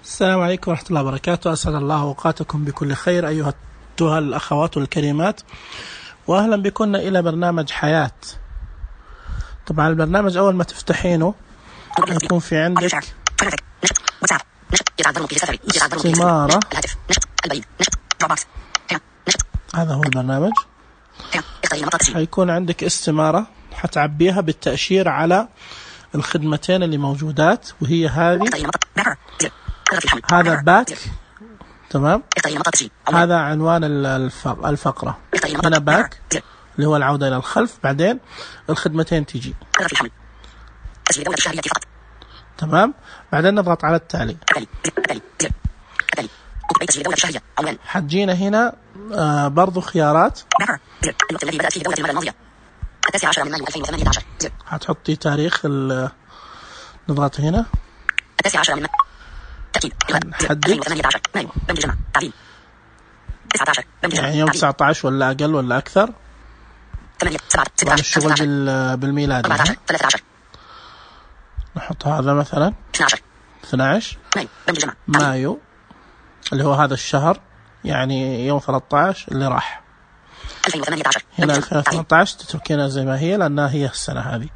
السلام عليكم ورحمة الله وبركاته. أسعد الله أوقاتكم بكل خير أيها الأخوات الكريمات، وأهلا بكم إلى برنامج حياة. طبعا البرنامج أول ما تفتحينه يكون في عندك استمارة. هذا هو البرنامج. حيكون عندك استمارة حتعبيها بالتأشير على الخدمتين اللي موجودات، وهي هذه. هذا باك، تمام. هذا عنوان الفقرة. هنا باك اللي هو العودة إلى الخلف، بعدين الخدمتين تيجي، تمام. بعدين نضغط على التالي. حتجينا هنا برضو خيارات. هتحطي تاريخ نضغط هنا، نحدد يعني يوم 19 ولا أقل ولا أكثر. طبعا الشغل بالميلاد يعني. نحط هذا مثلا 12 مايو اللي هو هذا الشهر، يعني يوم 13 اللي راح. هنا 2018 تتركينها زي ما هي لأنها هي السنة هذه.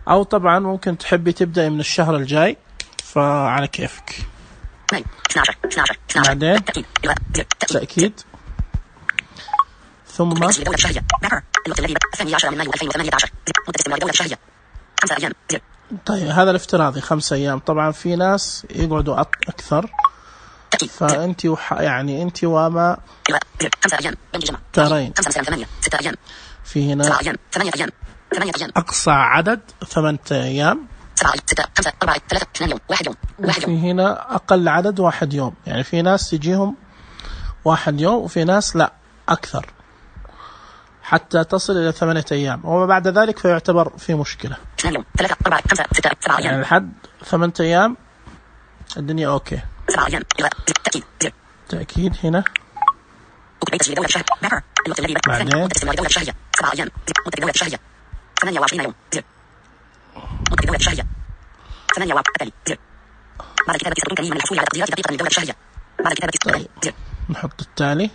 أو طبعا ممكن تحبي تبدأ من الشهر الجاي، فعلى كيفك. بعدين تأكيد، ثم طيب هذا الافتراضي 5 أيام. طبعا في ناس يقعدوا أكثر، فأنت يعني أنت وما ترين. في هنا أقصى عدد 8 أيام، وفي هنا أقل عدد 1 يوم. يعني في ناس تجيهم 1 يوم، وفي ناس لا أكثر حتى تصل إلى 8 أيام، وما بعد ذلك فيعتبر في مشكلة. يعني لحد 8 أيام الدنيا أوكي. تأكيد هنا. بعدين طيب نحط التالي.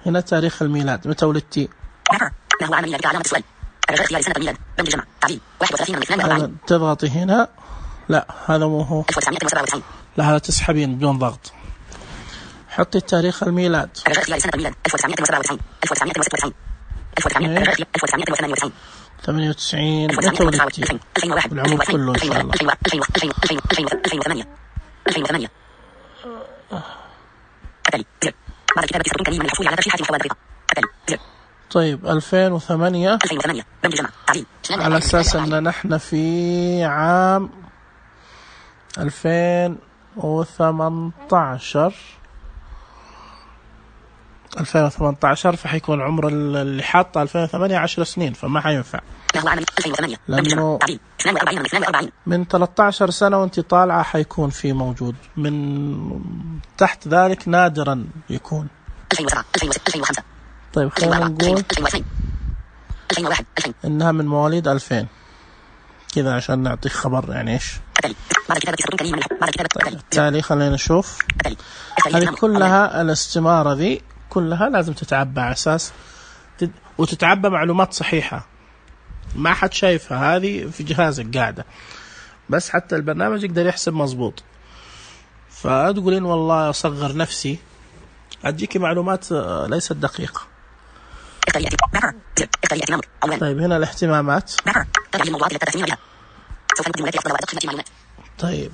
هنا تاريخ الميلاد، متى ولدتي؟ تضغطي هنا. لا هذا مو هو، لا هذا تسحبين بدون ضغط. حطي تاريخ الميلاد 98. متى ولدتي؟ العمر كله إن شاء الله. طيب 2008 على أساس أن نحن في عام 2018 فحيكون عمر اللي حاطه 2008 10 سنين، فما حينفع لأنه من 13 سنة وانت طالعة حيكون في موجود. من تحت ذلك نادرا يكون. طيب خلينا نقول إنها من مواليد 2000 كذا عشان نعطيك خبر يعني إيش. بالتالي خلينا نشوف. هذه كلها الاستمارة ذي كلها لازم تتعبى على أساس وتتعبى معلومات صحيحة، ما حد شايفها، هذه في جهازك قاعدة، بس حتى البرنامج يقدر يحسب مظبوط. فتقولين والله أصغر نفسي، أديك معلومات ليست دقيقة. طيب هنا الاهتمامات. طيب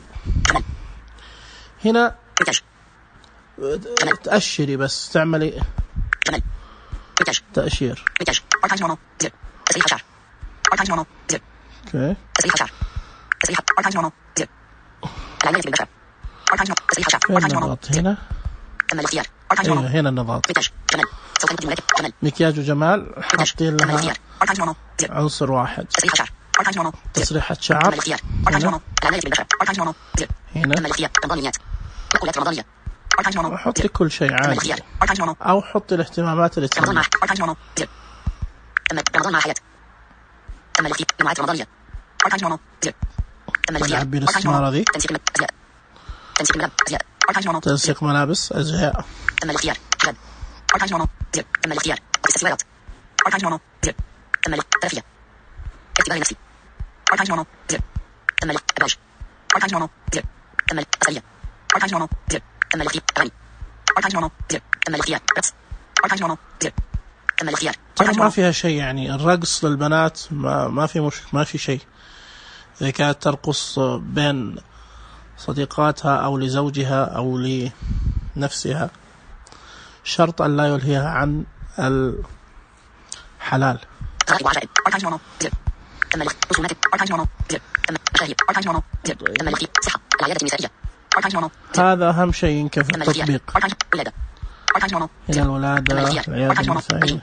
هنا تأشري، بس تعملي تأشير. اوكي نضغط هنا. هنا نضغط مكياج وجمال، حاطين لها عنصر واحد. تسريحة شعر هنا. حطي كل شيء عادي، أو حطي الاهتمامات اللي تسمى. نعبي الاستمارة ذي. تنسيق ملابس أزياء. تم الاختيار. تم الاختيار. اكسسوارات. تم الترفيه. اختبار نفسي. تم الابراج. تم الاصليه. تم الاختيار. تم الاختيار. تم الاختيار. ترى ما فيها شيء يعني الرقص للبنات ما في شيء. إذا كانت ترقص بين صديقاتها أو لزوجها أو لنفسها شرط أن لا يلهيها عن الحلال. هذا أهم شيء يمكن في التطبيق. هنا الولادة، العيادة النسائية،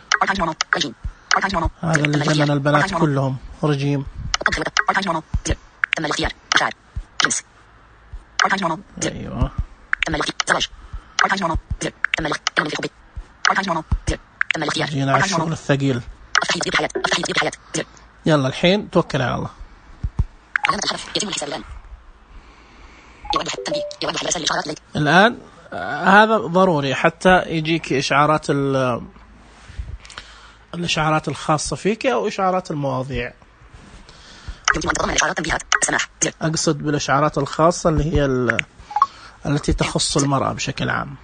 هذا اللي جنن البنات كلهم رجيم. تم الاختيار. جنس. أيوة. تم الاختيار. تم الاختيار. تم الاختيار. جينا على الشغل الثقيل. يلا الحين توكل على الله. يتم الحساب الآن. يوضح الرسائل الإشعارات لك. الآن هذا ضروري حتى يجيك إشعارات الإشعارات الخاصة فيك أو إشعارات المواضيع. يمكن أن تضمن الإشعارات تنبيهات السماح. أقصد بالإشعارات الخاصة اللي هي التي تخص المرأة بشكل عام.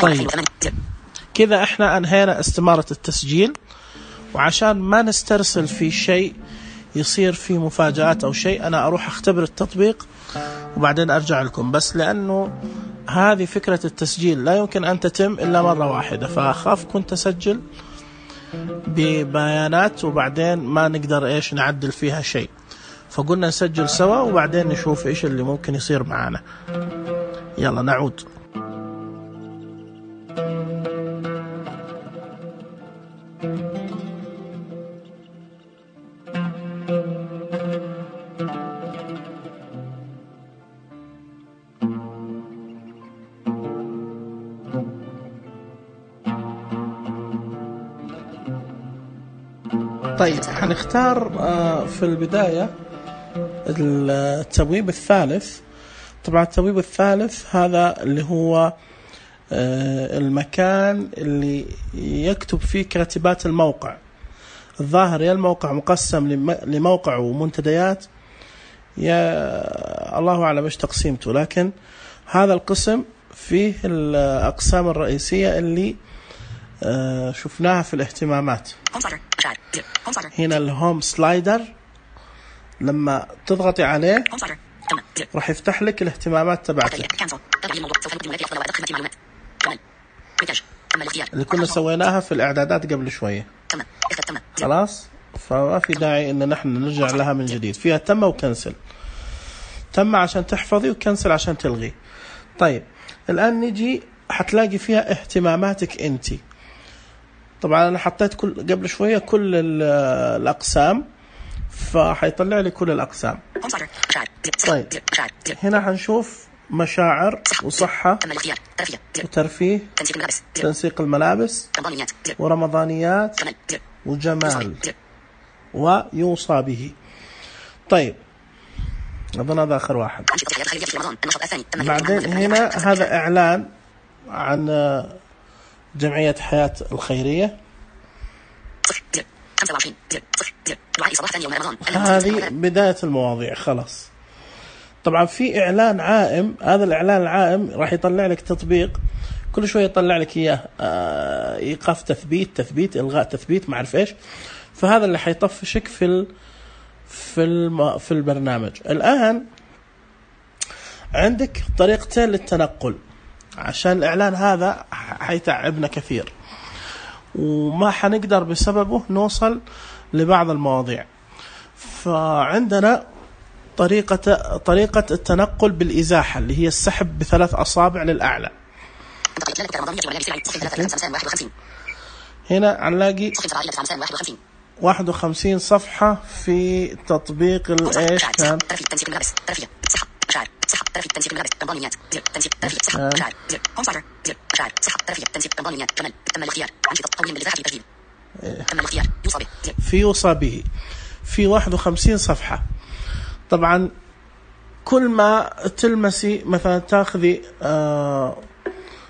طيب كذا احنا انهينا استمارة التسجيل، وعشان ما نسترسل في شيء يصير في مفاجآت او شيء انا اروح اختبر التطبيق وبعدين ارجع لكم، بس لانه هذه فكرة التسجيل لا يمكن ان تتم الا مرة واحدة، فاخاف كنت اسجل ببيانات وبعدين ما نقدر نعدل فيها شيء، فقلنا نسجل سوا وبعدين نشوف ايش اللي ممكن يصير معنا. يلا نعود. طيب حنختار في البداية التبويب الثالث. طبعا التبويب الثالث هذا اللي هو المكان اللي يكتب فيه كاتبات الموقع. الظاهر يا الموقع مقسم لموقع ومنتديات، يا الله أعلم إيش تقسيمته، لكن هذا القسم فيه الأقسام الرئيسية اللي شفناها في الاهتمامات. هنا الهوم سلايدر، لما تضغطي عليه راح يفتح لك الاهتمامات تبعتك اللي كنا سويناها في الإعدادات قبل شوية. خلاص، فما في داعي إن نحن نرجع لها من جديد. فيها تم وكنسل، تم عشان تحفظي وكنسل عشان تلغي. طيب الآن نجي حتلاقي فيها اهتماماتك أنتي. طبعا أنا حطيت قبل شوية كل الأقسام، فحيطلع لي كل الأقسام. طيب هنا حنشوف مشاعر وصحة وترفيه، تنسيق الملابس ورمضانيات وجمال ويوصى به. طيب أظن هذا آخر واحد. بعدين هنا هذا إعلان عن جمعية حياة الخيرية. هذه بداية المواضيع خلاص. طبعا في إعلان عائم، هذا الإعلان العائم راح يطلع لك تطبيق كل شوية يطلع لك إياه، إيقاف تثبيت إلغاء تثبيت ما أعرف إيش. فهذا اللي حيطفشك في البرنامج. الآن عندك طريقتين للتنقل، عشان الإعلان هذا حيتعبنا كثير وما حنقدر بسببه نوصل لبعض المواضيع. فعندنا طريقة التنقل بالإزاحة اللي هي السحب ب3 أصابع للأعلى. هنا هنلاقي 51 صفحة في تطبيق الإيش كان في يوصى به، في 51 صفحة. طبعا كل ما تلمسي مثلا تاخذي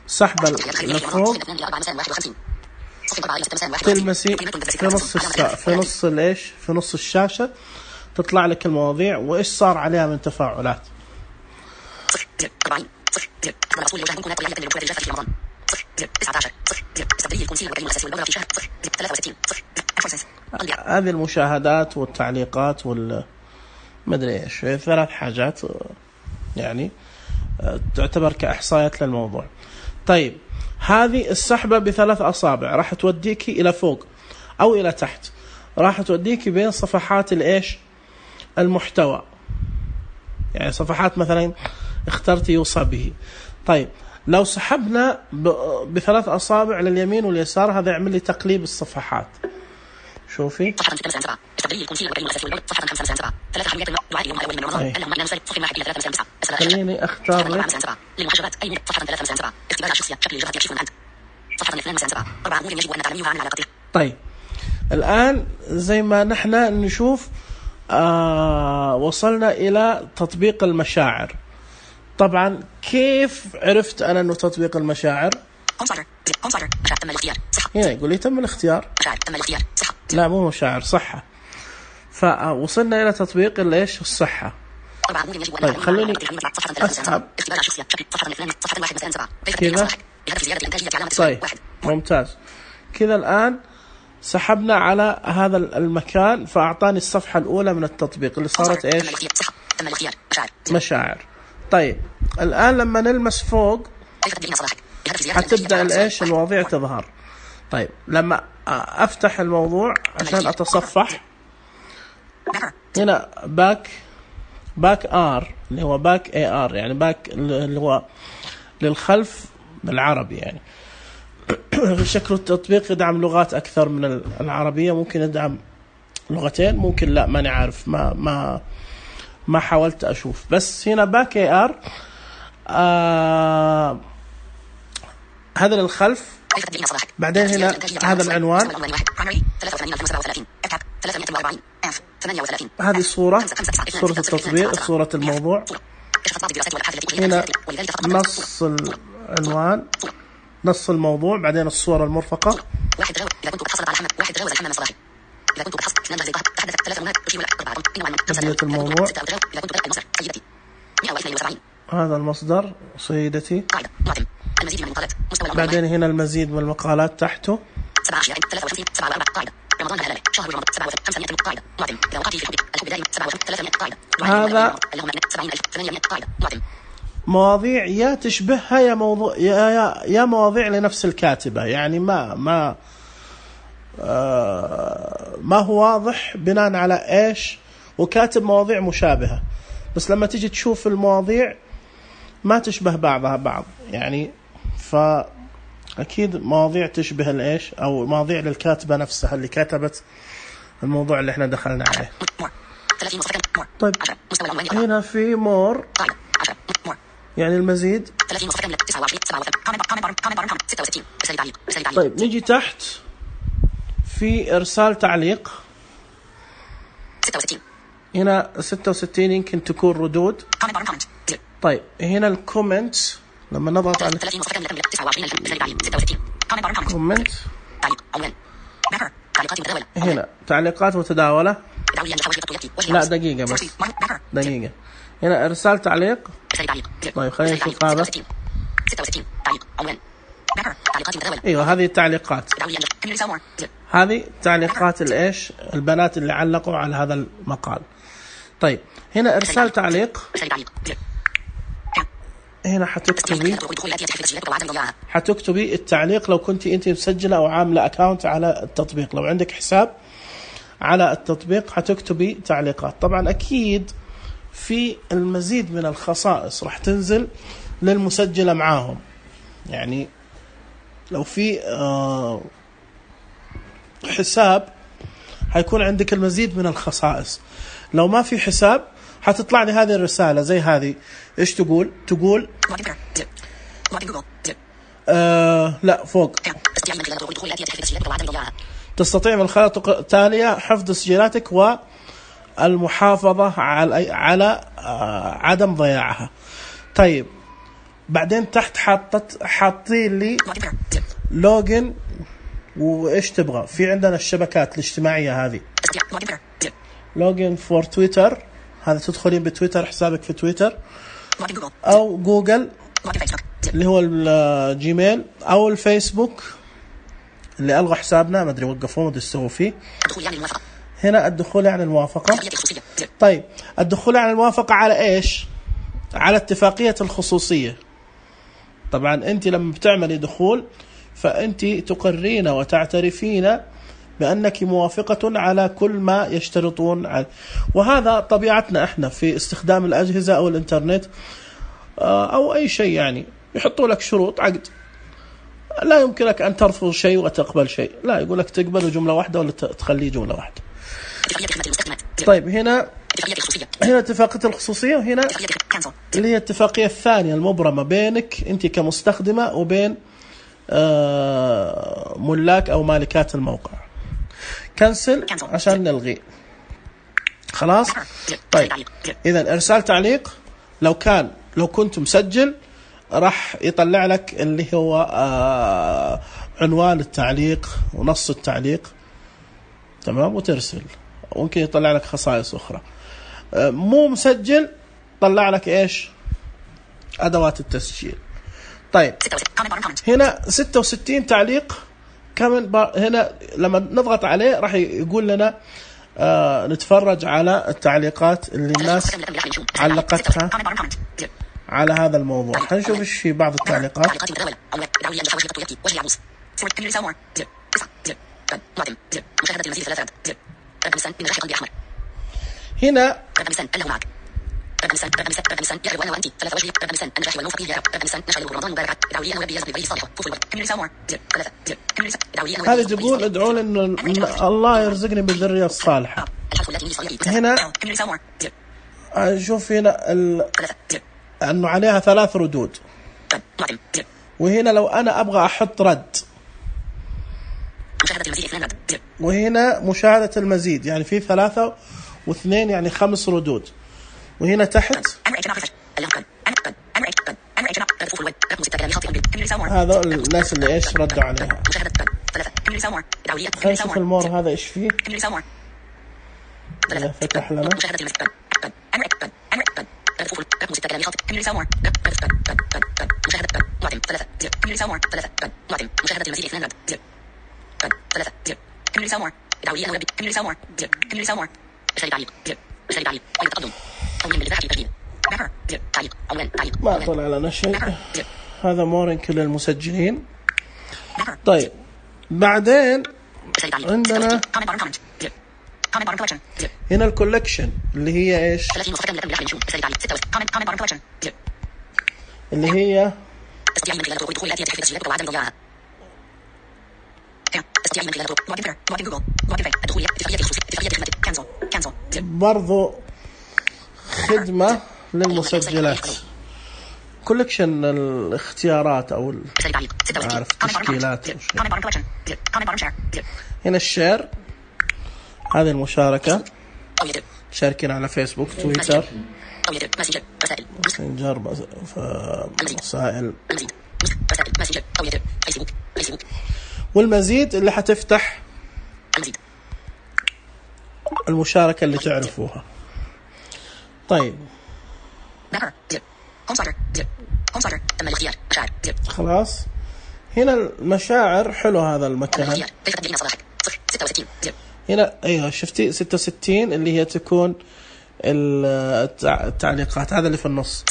سحبة لفوق، تلمسي في نص الشاشة تطلع لك المواضيع وإيش صار عليها من تفاعلات. هذه المشاهدات والتعليقات مدري إيش، 3 حاجات يعني تعتبر كإحصائيات للموضوع. طيب هذه السحبة ب3 أصابع راح توديكي إلى فوق أو إلى تحت، راح توديكي بين صفحات الإيش المحتوى، يعني صفحات مثلا اخترتي يوصى به. طيب لو سحبنا ب3 أصابع لليمين واليسار هذا يعمل لي تقليب الصفحات. شوفي خليني اختار لك. طيب الآن زي ما نحن نشوف وصلنا إلى تطبيق المشاعر. طبعا كيف عرفت أنا أنه تطبيق المشاعر؟ هنا يقول لي تم الاختيار. لا مو مشاعر، صحة. فوصلنا إلى تطبيق الإيش الصحة. طيب خليني أسحب كذا. طيب ممتاز كذا. الآن سحبنا على هذا المكان فأعطاني الصفحة الأولى من التطبيق اللي صارت إيش مشاعر. طيب الآن لما نلمس فوق حتبدأ الإيش المواضيع تظهر. طيب لما أفتح الموضوع عشان أتصفح هنا باك آر اللي هو باك اي آر، يعني باك اللي هو للخلف بالعربي. يعني في شكل التطبيق يدعم لغات أكثر من العربية، ممكن يدعم لغتين، ممكن لا، ماني عارف، ما حاولت أشوف. بس هنا باك اي آر هذا للخلف. بعدين هنا هذا العنوان، هذه صورة التطبيق، صورة الموضوع. هنا نص العنوان، نص الموضوع، بعدين الصورة المرفقة. بداية الموضوع، هذا المصدر سيدتي. بعدين هنا المزيد من المقالات تحته. هذا مواضيع يا تشبهها يا موضوع يا مواضيع لنفس الكاتبة، يعني ما هو واضح بناء على ايش، وكاتب مواضيع مشابهة، بس لما تيجي تشوف المواضيع ما تشبه بعضها بعض، يعني فأكيد مواضيع تشبه الايش، او مواضيع للكاتبة نفسها اللي كتبت الموضوع اللي احنا دخلنا عليه. طيب هنا في مور يعني المزيد. طيب نيجي تحت في إرسال تعليق. هنا 66 يمكن تكون ردود. طيب هنا الكومنت، لما نضغط على كومنت هنا تعليقات متداولة. لا دقيقة بس، دقيقة. هنا إرسال تعليق. طيب خلينا نشوف هذا. ايوه هذه التعليقات، هذه تعليقات الايش البنات اللي علقوا على هذا المقال. طيب هنا ارسال تعليق. هنا حتكتبي التعليق لو كنت انت مسجله او عامله اكاونت على التطبيق. لو عندك حساب على التطبيق حتكتبي تعليقات. طبعا اكيد في المزيد من الخصائص راح تنزل للمسجله معاهم، يعني لو في حساب حيكون عندك المزيد من الخصائص. لو ما في حساب حتطلع لي هذه الرسالة زي هذه. ايش تقول لا فوق، تستطيع من الخيارات التالية حفظ تسجيلاتك المحافظة على عدم ضياعها. طيب بعدين تحت حاطين لي لوجن، وإيش تبغى؟ في عندنا الشبكات الاجتماعية هذه، لوجن فور تويتر، هذا تدخلين بتويتر، حسابك في تويتر أو جوجل اللي هو الجيميل أو الفيسبوك اللي ألغوا حسابنا، ما أدري وقفوه، ما أدري سووا فيه. هنا الدخول يعني الموافقة. طيب الدخول يعني الموافقة على إيش؟ على اتفاقية الخصوصية. طبعا أنت لما بتعملي دخول فأنت تقرين وتعترفين بأنك موافقة على كل ما يشترطون على، وهذا طبيعتنا احنا في استخدام الأجهزة أو الإنترنت أو أي شيء، يعني يحطوا لك شروط عقد، لا يمكنك أن ترفض شيء وتقبل شيء، لا يقول لك تقبل جملة واحدة ولا تخليه جملة واحدة. طيب هنا اتفاقية الخصوصية، وهنا اللي هي الاتفاقية الثانية المبرمة بينك أنت كمستخدمة وبين ملاك أو مالكات الموقع. كنسل عشان نلغي. خلاص. طيب إذا إرسال تعليق، لو كنت مسجل راح يطلع لك اللي هو عنوان التعليق ونص التعليق، تمام، وترسل. ممكن يطلع لك خصائص أخرى. مو مسجل طلع لك إيش؟ أدوات التسجيل. طيب هنا 66 تعليق كمان. هنا لما نضغط عليه راح يقول لنا نتفرج على التعليقات اللي الناس علقتها على هذا الموضوع. هنشوف ايش في بعض التعليقات. هنا هذا تقول ادعوا ان الله يرزقني بالذرية الصالحة. هنا شوف هنا انه عليها 3 ردود، وهنا لو انا ابغى احط رد، وهنا مشاهدة المزيد، يعني في 3 و2 يعني 5 ردود. وهنا تحت هذا الناس اللي ايش ردوا عليها. نشوف المور هذا ايش فيه. فتح لنا ما طلع لنا شيء. هذا مورنك للمسجلين. طيب بعدين عندنا هنا الكولكشن اللي هي ايش؟ اللي هي برضو خدمة للمسجلات، كولكشن الاختيارات أو عارف تشكيلات. هنا الشير، هذه المشاركة، شاركين على فيسبوك، تويتر، ماسنجر، مسائل، والمزيد اللي حتفتح المشاركة اللي تعرفوها. طيب خلاص. هنا المشاعر، حلو هذا المكان. هنا ايوه شفتي 66 اللي هي تكون التعليقات، هذا اللي في النص.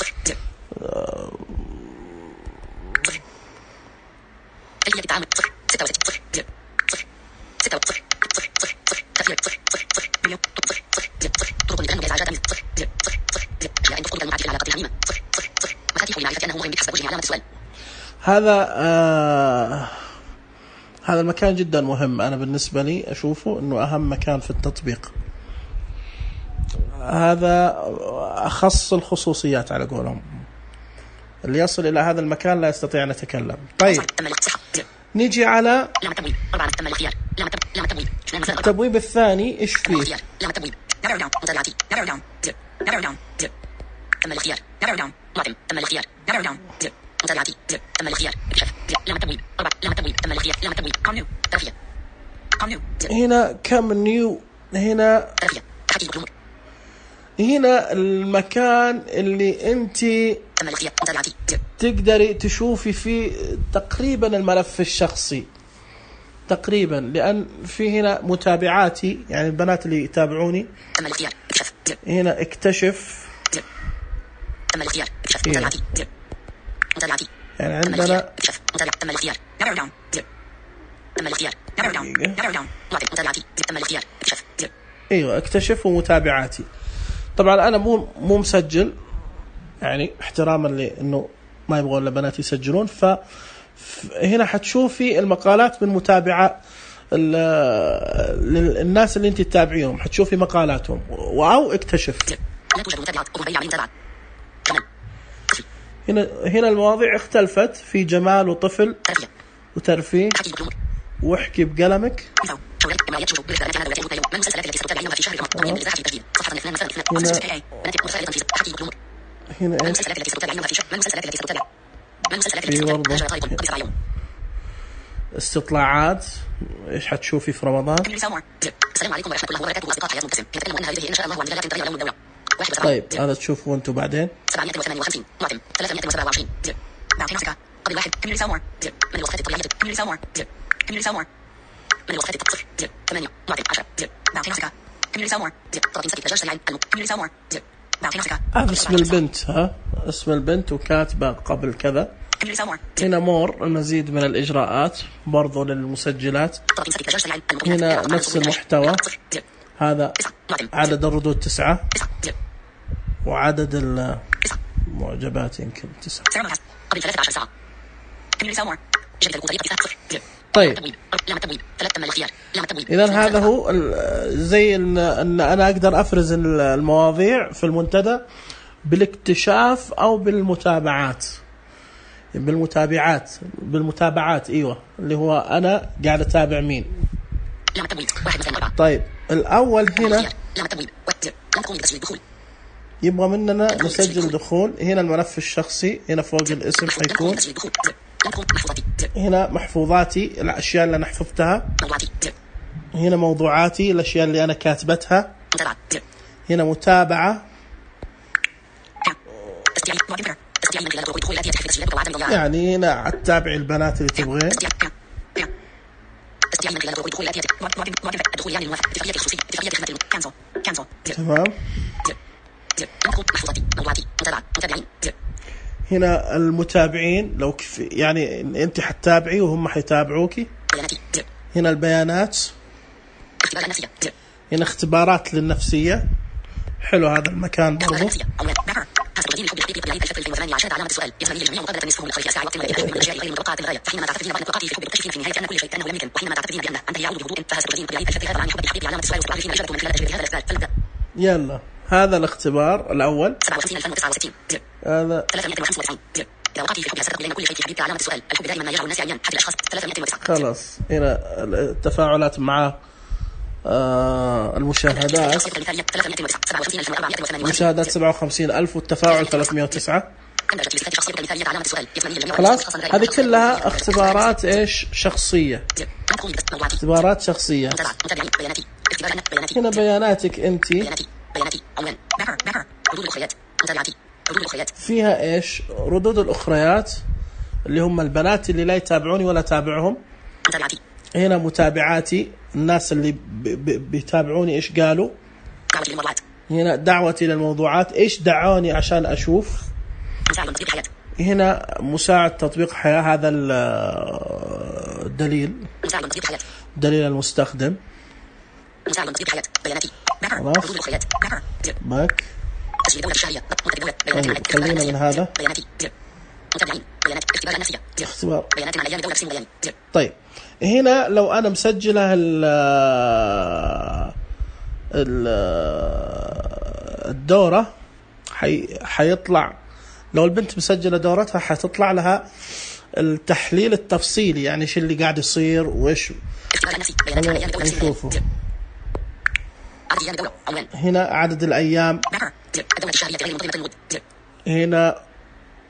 هذا المكان جدا مهم. أنا بالنسبة لي أشوفه أنه أهم مكان في التطبيق. هذا أخص الخصوصيات على قولهم، اللي يصل إلى هذا المكان لا يستطيع أن يتكلم. طيب نيجي على التبويب الثاني. إيش فيه؟ narrow down متابعاتي narrow down زر narrow down زر تم الاختيار narrow down معتم تم الاختيار narrow down زر متابعاتي زر تم الاختيار اكشف زر لام التبويب 4 لام التبويب تم الاختيار لام التبويب كم نيو ترفيه كم نيو هنا كم نيو هنا ترفيه تحديد الأمور هنا المكان اللي انت تم الاختيار متابعاتي زر تقدري تشوفي فيه تقريبا الملف الشخصي تقريبا، لأن في هنا متابعاتي يعني البنات اللي يتابعوني. تم الاختيار اكشف زر هنا اكتشف زر تم الاختيار اكشف متابعاتي زر متابعاتي يعني تم الاختيار عندنا اكشف متابعة تم الاختيار narrow down زر تم الاختيار narrow down narrow down معتم متابعاتي زر تم الاختيار اكشف زر ايوه اكتشف ومتابعاتي. طبعا انا مو مسجل يعني احتراما لانه ما يبغون البنات يسجلون، فهنا حتشوفي المقالات من متابعة الناس اللي انت تتابعيهم، حتشوفي مقالاتهم او اكتشف. لا توجد متابعات أغنية على متابعات كمان هنا المواضيع اختلفت في جمال وطفل ترفيه وترفيه تحديد الأمور واحكي بقلمك. مثال شغل إماليات شروط بالإعلانات هذا ويتم من المسلسلات التي ستتابعينها في شهر رمضان ضمن مساحة التسجيل صفحة 2 مثلا 2 بنات مرسلة في تحديد الأمور هنا من ايش المسلسلات التي ستتابعينها في شهر من المسلسلات التي ستتابع من المسلسلات التي في ستتابع برضه 10 طالب قبل 7 يوم استطلاعات ايش حتشوفي في رمضان. السلام عليكم ورحمة الله وبركاته أصدقاء حياة مبتسم نتكلم أن هذه إن شاء الله عن دلالات الدولة يوم الدولة طيب هذا تشوفوا انتم بعدين. 758 معتم 327 زر بعد نفسك قبل واحد كمل سامور زر من الوصفات الطبيعية كمل سامور زر كمل سامور من الوصفات التصفر زر 8 معتم 10 زر بعد نفسك كمل سامور زر طرف سكت دجاج سريع كمل سامور زر بعد نفسك هذا اسم البنت، ها اسم البنت وكاتبه قبل كذا. كمل سامور هنا مور المزيد من الإجراءات برضو للمسجلات. طرف سكت دجاج سريع هنا نفس المحتوى، هذا عدد الردود 9 وعدد المعجبات يمكن 9. قبل 13 ساعة كمل سامور جدد الطريقة 0 طيب لام التبويب 3 تم الاختيار لام التبويب إذن هذا هو زي إن أنا أقدر أفرز المواضيع في المنتدى بالاكتشاف أو بالمتابعات. بالمتابعات ايوه اللي هو انا قاعد اتابع مين. لام التبويب 1 2 4 طيب الاول هنا لام التبويب لم تقوم بتسجيل الدخول يبغى مننا نسجل دخول. هنا الملف الشخصي، هنا فوق الاسم حيكون هنا محفوظاتي الاشياء اللي انا حفظتها، هنا موضوعاتي الاشياء اللي انا كاتبتها، هنا متابعة يعني هنا تتابعي البنات اللي تبغين. تمام. هنا المتابعين لو يعني انت حتتابعي وهم حيتابعوكي. هنا البيانات، هنا اختبارات للنفسية. حلو هذا المكان برضو. يلا هذا الاختبار الأول. هذا خلاص. هنا التفاعلات مع المشاهدات 57,000 والتفاعل 309. خلاص هذه كلها اختبارات ايش شخصية، اختبارات شخصية. هنا بياناتك انت فيها ايش ردود الأخريات اللي هم البنات اللي لا يتابعوني ولا تابعهم. هنا متابعاتي الناس اللي بيتابعوني ايش قالوا. هنا دعوتي للموضوعات ايش دعوني عشان اشوف. هنا مساعد تطبيق حياة، هذا الدليل دليل المستخدم. خلاص باك. خلينا من هذا اختبار. طيب هنا لو أنا مسجلة الدورة حيطلع، لو البنت مسجلة دورتها حتطلع لها التحليل التفصيلي، يعني ايش اللي قاعد يصير وايش. نشوفه عدد أيام الدورة عنوان. هنا عدد الأيام. الدورة الشهرية غير منتظمة. هنا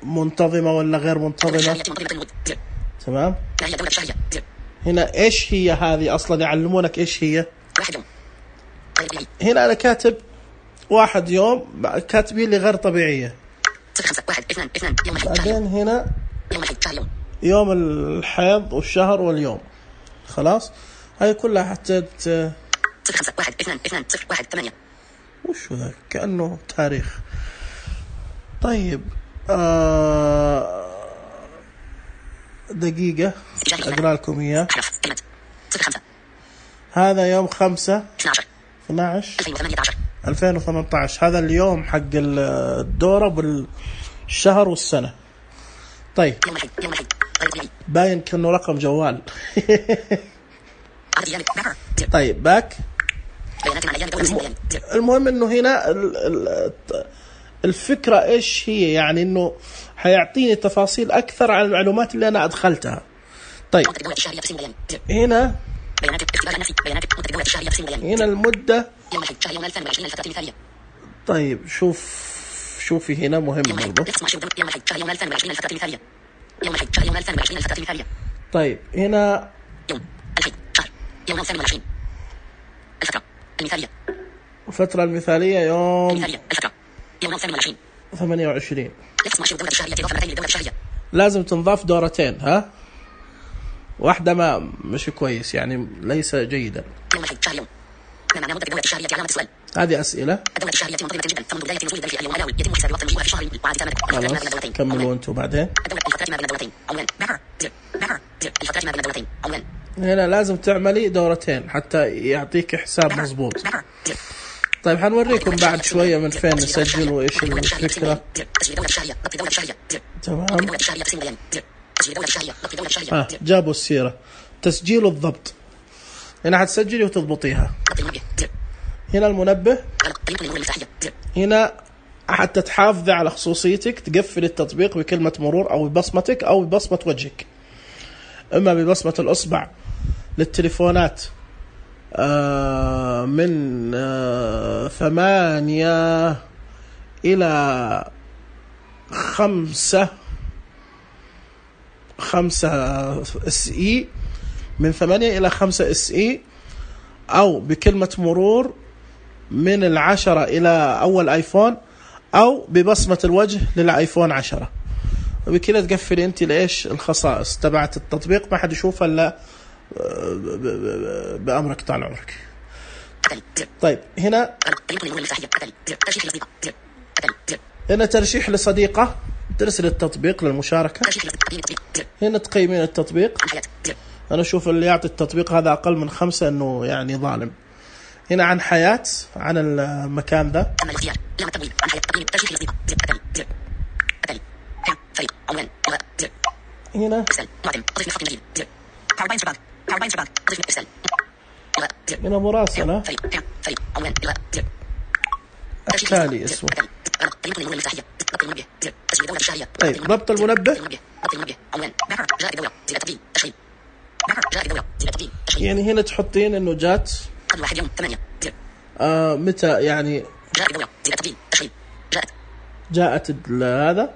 منتظمة ولا غير منتظمة؟ تمام. ما هي الدورة الشهرية؟ هنا إيش هي هذه أصلا يعلمونك إيش هي؟ 1 يوم. هنا أنا كاتب 1 يوم، كاتبين لي غير طبيعية. 5 1 2 2 يوم الحيض. بعدين هنا يوم الحيض شهر يوم. يوم الحيض والشهر واليوم. خلاص هاي كلها حتى 5 1 2 2 0 1 8. وش ذا كأنه تاريخ. طيب دقيقة أقرأ لكم إياه. هذا يوم 5/12/2018. هذا اليوم حق الدورة بالشهر والسنة. طيب باين كأنه رقم جوال. طيب باك. المهم انه هنا الفكرة ايش هي، يعني انه حيعطيني تفاصيل اكثر عن المعلومات اللي انا ادخلتها. طيب هنا المدة. طيب شوفي هنا مهم برضو. طيب هنا الفترة المثالية يوم 28. لازم تنضاف دورتين. ها واحدة ما مش كويس، يعني ليس جيدا. هذه أسئلة. خلاص كملوا أنتوا بعدين. هنا لازم تعملي دورتين حتى يعطيك حساب مضبوط. طيب حنوريكم بعد شوية من فين نسجل وإيش الفكرة. تمام. جابوا السيرة. تسجيل الضبط. هنا حتسجلي وتضبطيها. هنا المنبه. هنا حتى تحافظي على خصوصيتك، تقفل التطبيق بكلمة مرور أو ببصمتك أو ببصمة وجهك، إما ببصمة الأصبع للتليفونات من 8 إلى 5 SE، من 8 إلى 5 SE، أو بكلمة مرور من 10 إلى أول آيفون، أو ببصمة الوجه للآيفون 10. وبكذا تقفلي أنت لإيش الخصائص تبعت التطبيق، ما حد يشوفها إلا بأمرك طال عمرك. طيب هنا ترشيح لصديقة، ترسل التطبيق للمشاركة. هنا تقيمين التطبيق. أنا أشوف اللي يعطي التطبيق هذا أقل من 5 إنه يعني ظالم. هنا عن حياة، عن المكان ذا. هنا هنا مراسلة. التالي اسمه. طيب ربط المنبه. يعني هنا تحطين انه جات متى، يعني جاءت هذا.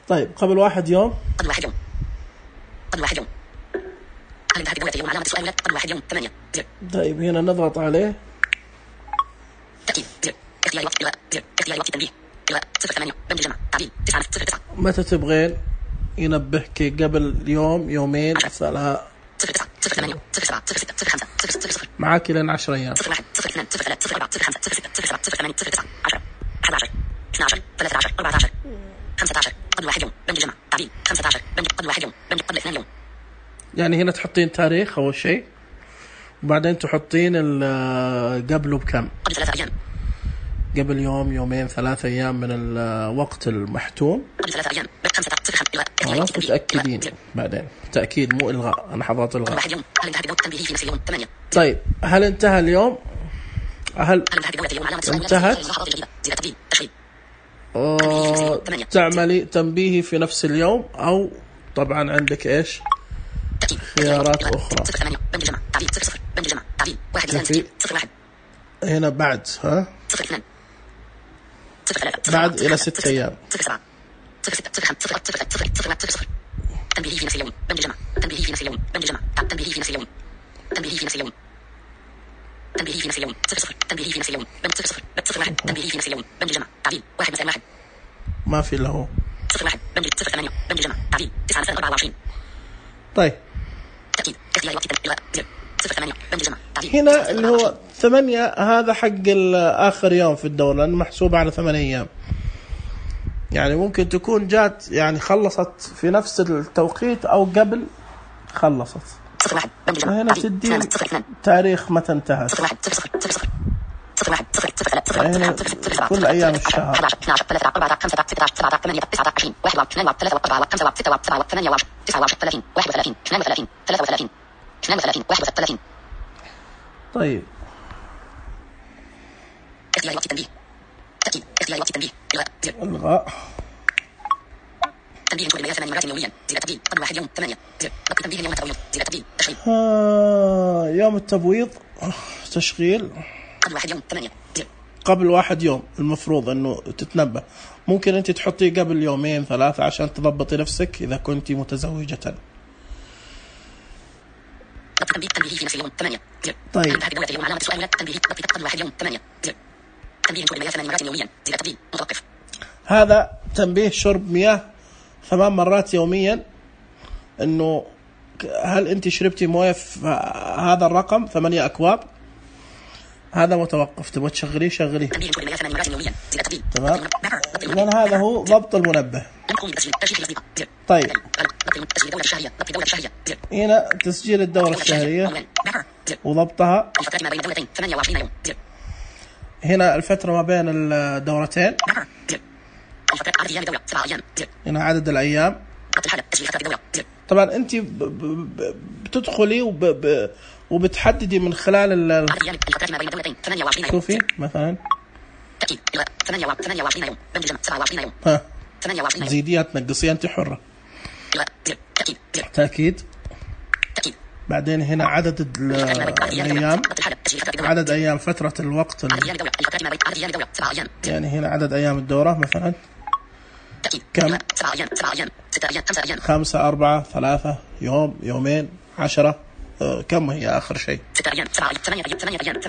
طيب قبل 1 يوم. طيب هنا نضغط عليه. متى تبغين ينبهك؟ قبل يوم، يومين، 3. معاك لين 10 أيام. يعني هنا تحطين تاريخ أول شيء، وبعدين تحطين قبله بكم. قبل يوم، يومين، 3 أيام من الوقت المحتوم. خلاص تتأكدين بعدين، تأكيد مو إلغاء. أنا حضرت إلغاء. طيب هل انتهى اليوم؟ هل انتهت؟ تعملي تنبيهي في نفس اليوم، أو طبعا عندك إيش خيارات أخرى. تعديل 1 زائد شوفي 0 1 هنا بعد 0 2 0 3 بعد إلى 6 أيام 0 7 0 6 0 5 0 0 0 0 0 0 تنبيهي في نفس اليوم بند جمع تنبيهي في نفس اليوم بند جمع تنبيهي في نفس اليوم تنبيهي في نفس اليوم تنبيهي في نفس اليوم 0 0 تنبيهي في نفس اليوم بند 0 0 0 1 تنبيهي في نفس اليوم بند جمع تعديل 1 زائد 1 ما في له 0 1 بند 0 8 بند جمع تعديل 9 زائد 24 طيب تأكيد اختيار وقت إلغاء 0 8 بند جمع تعديل هنا اللي هو 8 هذا حق آخر يوم في الدورة لأنه محسوب على 8 أيام يعني ممكن تكون جات يعني خلصت في نفس التوقيت أو قبل خلصت 0 1 بند جمع هنا تدي تاريخ متى انتهت 0 1 0 0 0 0 0 1 0 0 0 هنا كل أيام الشهر 11 12 13 14 15 16 17 18 19 20 21 22 23 24 25 27 28 29 30 31 32 33 31 طيب اختيار وقت التنبيه تأكيد اختيار وقت التنبيه إلغاء تنبيه لما 8 مرات يوميا زيادة تبديل قبل 1 يوم 8 ضبط تنبيه يوم التبويض زيادة تبديل تشغيل يوم التبويض تشغيل قبل 1 يوم 8 قبل 1 يوم المفروض أنه تتنبه ممكن أنت تحطيه قبل 2 3 عشان تضبطي نفسك إذا كنت متزوجة ضبط تنبيه في نفس اليوم 8 طيب انتهت بدولة اليوم علامة السؤال تنبيه ضبط قبل 1 يوم 8 تنبيه لما 8 مرات يوميا زيادة تبديل متوقف هذا تنبيه شرب مياه 8 مرات يوميا انه هل انت شربتي مويه في هذا الرقم 8 أكواب هذا متوقف تبغى تشغليه شغليه تنبيه لما 8 مرات يوميا زيادة تبديل تمام لأن هذا هو ضبط المنبه طيب هنا تسجيل الدورة الشهرية وضبطها هنا الفترة ما بين الدورتين هنا عدد الأيام طبعا أنت بتدخلي وبتحددي من خلال شوفي مثلا 28 يوم بند جمع 27 يوم ها 28 زيديها تنقصيها أنت حرة تأكيد بعدين هنا عدد الأيام عدد أيام فترة الوقت يعني هنا عدد أيام الدورة مثلا كم 5 4 3 يوم يومين 10 كم هي آخر شيء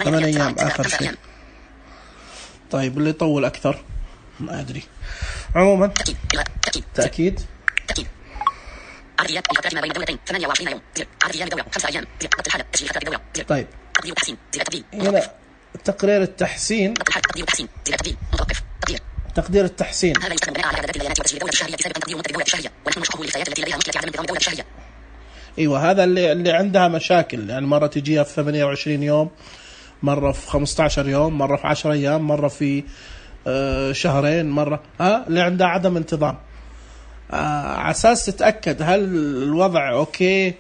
8 أيام آخر شيء طيب اللي يطول أكثر ما أدري عموما تأكيد طيب هنا تقرير التحسين تقدير التحسين هذا يستخدم بناء على اعداد الليالات وتسجيل الدوله الشهريه بسبب ان تقدير الدوله الشهريه ونحن نشكره للفئات التي لديها مشكله في عدم انتظام الدوله الشهريه. ايوه هذا اللي عندها مشاكل يعني مره تجيها في 28 يوم مره في 15 يوم مره في 10 ايام مره في شهرين مره اللي عندها عدم انتظام على اساس تتاكد هل الوضع اوكي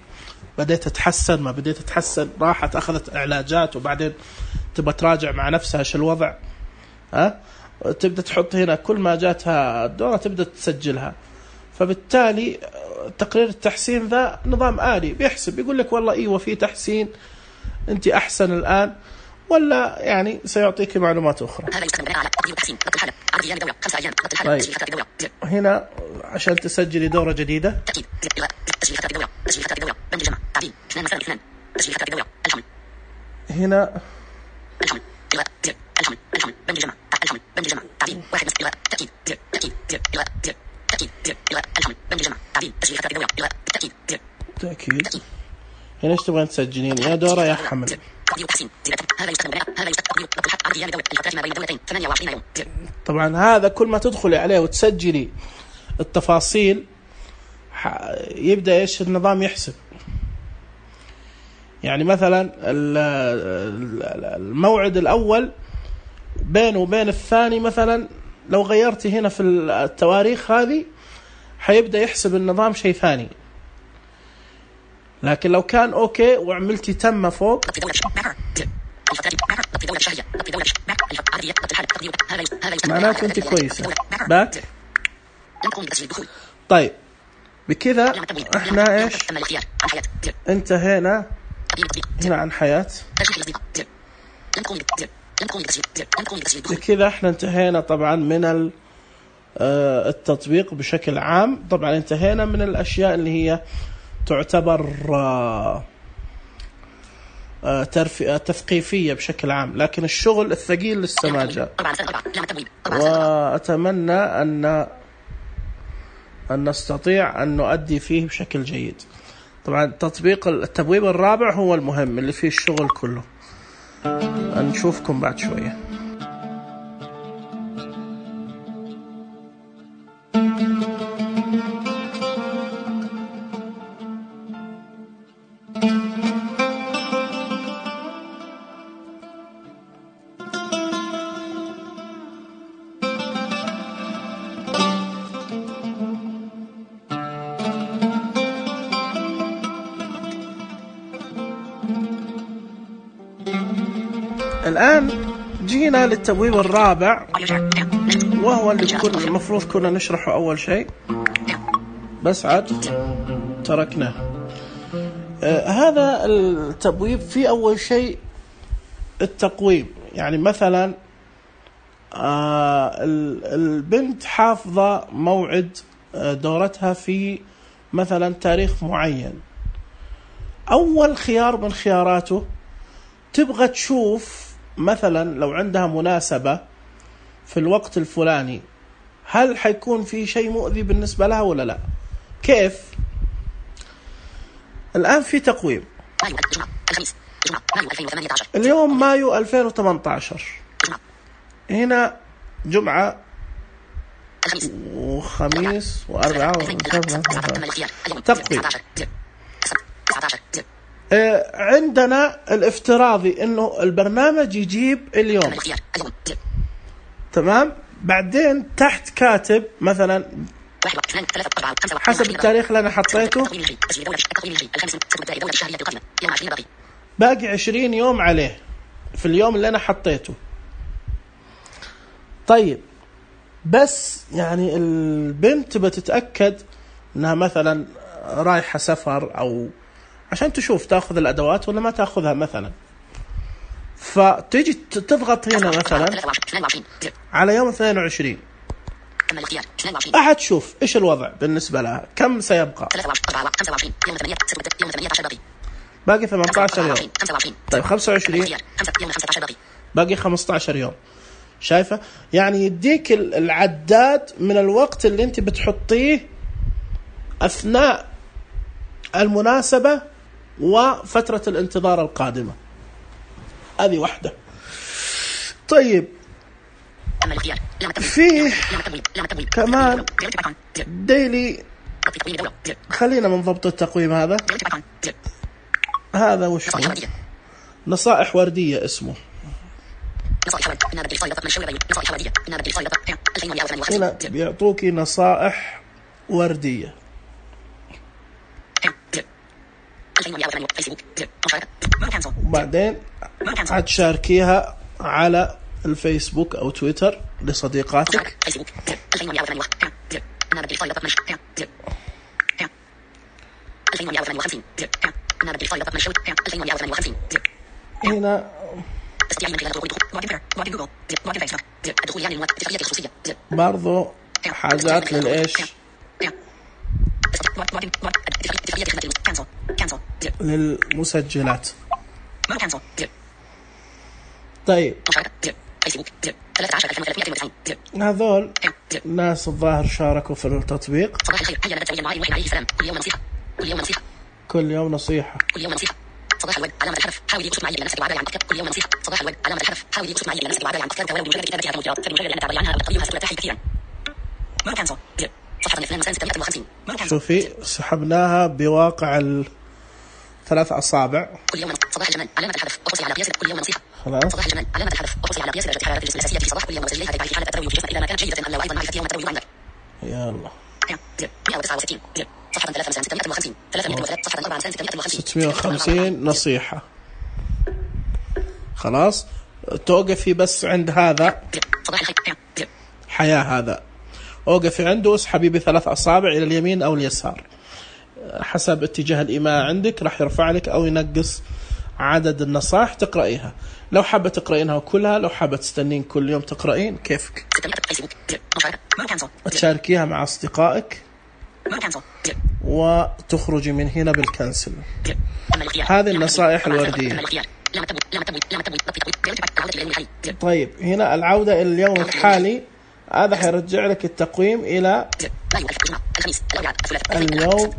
بديت تتحسن ما بديت تتحسن راحت اخذت علاجات وبعدين تبى تراجع مع نفسها ايش الوضع تبدأ تحط هنا كل ما جاتها الدورة تبدأ تسجلها فبالتالي تقرير التحسين ذا نظام آلي بيحسب يقول لك والله إيوه في تحسين أنت أحسن الآن ولا يعني سيعطيك معلومات أخرى. هذا يستخدم بناء على تقدير التحسين ضبط الحالة عدد أيام الدورة 5 أيام ضبط الحالة تسجيل فترة الدورة هنا عشان تسجلي دورة جديدة تأكيد تسجيل فترة الدورة تسجيل فترة الدورة بند جمع تعديل 2 مثلا 2 تسجيل فترة الدورة الحمل هنا الحمل الحمل بند جمع الحمل بند جمع تعديل 1 تأكيد الحمل بند جمع تعديل تسجيل فترة الدورة تأكيد هنا ايش تبغين تسجلين يا دورة يا حمل تقدير التحسين هذا يستخدم بناء هذا يستخدم ضبط الحد عدد ايام الدورة الفترات ما بين الدولتين 28 يوم. طبعا هذا كل ما تدخلي عليه وتسجلي التفاصيل يبدأ ايش النظام يحسب يعني مثلا الموعد الأول بينه وبين الثاني مثلا لو غيرتي هنا في التواريخ هذه حيبدأ يحسب النظام شيء ثاني لكن لو كان أوكي وعملتي تم فوق معناته أنت كويسة باك طيب بكذا احنا ايش انتهينا هنا عن حياة. بكذا احنا انتهينا طبعا من التطبيق بشكل عام. طبعا انتهينا من الأشياء اللي هي تعتبر تثقيفية بشكل عام، لكن الشغل الثقيل لسه ما جاء، وأتمنى أن نستطيع أن نؤدي فيه بشكل جيد. طبعا التبويب الرابع هو المهم اللي فيه الشغل كله. نشوفكم بعد شوية. الآن جينا للتبويب الرابع، وهو اللي المفروض كنا نشرحه أول شيء، بس عاد تركناه. هذا التبويب في أول شيء التقويم. يعني مثلا البنت حافظة موعد دورتها في مثلا تاريخ معين، أول خيار من خياراته تبغى تشوف مثلا لو عندها مناسبة في الوقت الفلاني هل حيكون في شيء مؤذي بالنسبة لها ولا لا. كيف؟ الآن في تقويم، اليوم مايو 2018، هنا جمعة وخميس وأربعة تقويم. عندنا الافتراضي انه البرنامج يجيب اليوم، تمام. بعدين تحت كاتب مثلا حسب التاريخ اللي انا حطيته باقي 20 يوم عليه في اليوم اللي انا حطيته. طيب بس يعني البنت بتتأكد انها مثلا رايحة سفر، او عشان تشوف تأخذ الأدوات ولا ما تأخذها مثلا، فتيجي تضغط هنا مثلا على يوم 22 أحد تشوف إيش الوضع بالنسبة لها، كم سيبقى. باقي 18 يوم. طيب 25 باقي 15 يوم. شايفة؟ يعني يديك العداد من الوقت اللي انت بتحطيه أثناء المناسبة وفترة الانتظار القادمة. هذه واحدة. طيب فيه كمان ديلي، خلينا من ضبط التقويم هذا وش هو؟ نصائح وردية اسمه. هنا بيعطوكي نصائح وردية، وبعدين هتشاركيها على الفيسبوك أو تويتر لصديقاتك. هنا برضو حاجات للإيش، للمسجلات. طيب هذول ناس الظاهر شاركوا في التطبيق. كل يوم نصيحة. صباح الورد علامة الحرف، حاولي وصف معي لنفسك وعبالي عن أفكار. كل يوم نصيحة. صباح الورد علامة الحرف، حاولي وصف معي لنفسك وعبالي عن أفكار ولو بمجرد كتابتها بمجرد فالمجرد أن تعبري عنها القويها سترتاحي كثيرا. ما كان صفحة 2 شوفي سحبناها بواقع 3 أصابع. كل يوم صباح الجمال علامة الحرف وقصي على قياس. كل يوم نصيحة. خلاص. صباح الجمال علامة الحرف وقصي على قياس درجة حرارة الجسم الأساسية في صباح كل يوم وسجليها في حالة التروي في الجسم إذا ما كانت جيدة. أم أيضا معرفة يوم التروي عندك. يلا 169 صفحة 3650 صفحة 46 650 نصيحة. خلاص توقفي بس عند هذا حياة، هذا اوقفي عنده، اسحبي ب3 أصابع إلى اليمين أو اليسار حسب اتجاه الإيماء عندك، راح يرفع لك أو ينقص عدد النصائح تقرأيها. لو حابة تقرأينها كلها، لو حابة تستنين كل يوم تقرأين، كيفك. تشاركيها مع أصدقائك وتخرجي من هنا بالكنسل. هذه النصائح الوردية. طيب هنا العودة إلى اليوم الحالي، هذا حيرجع لك التقويم إلى اليوم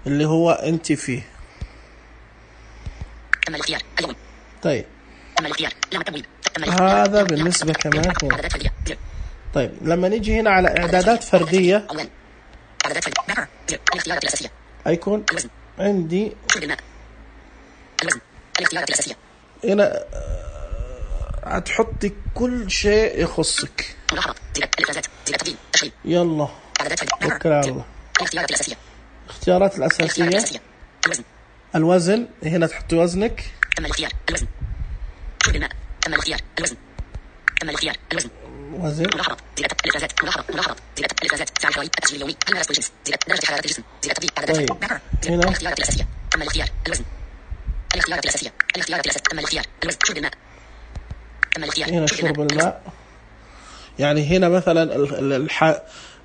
اللي هو أنت فيه. طيب هذا بالنسبة كمان هنا. طيب لما نيجي هنا على إعدادات فردية، هيكون عندي هنا هتحطي كل شيء يخصك. يلا توكل على الله. الاختيارات الأساسية، الوزن، هنا تحطي وزنك. وزن. طيب هنا هنا شرب الماء. يعني هنا مثلا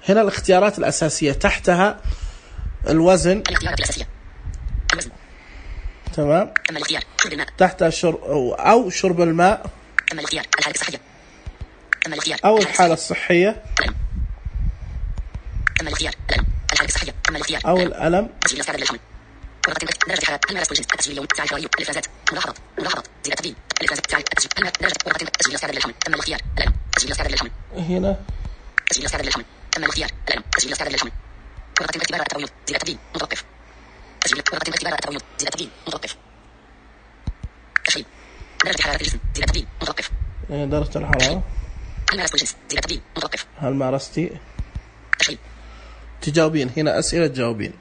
هنا الاختيارات الأساسية تحتها الوزن، تمام، تحتها أو شرب الماء، أو الحالة الصحية، أو الألم، هنا درجة الحرارة. هل مارستي؟ تجاوبين هنا أسئلة تجاوبين.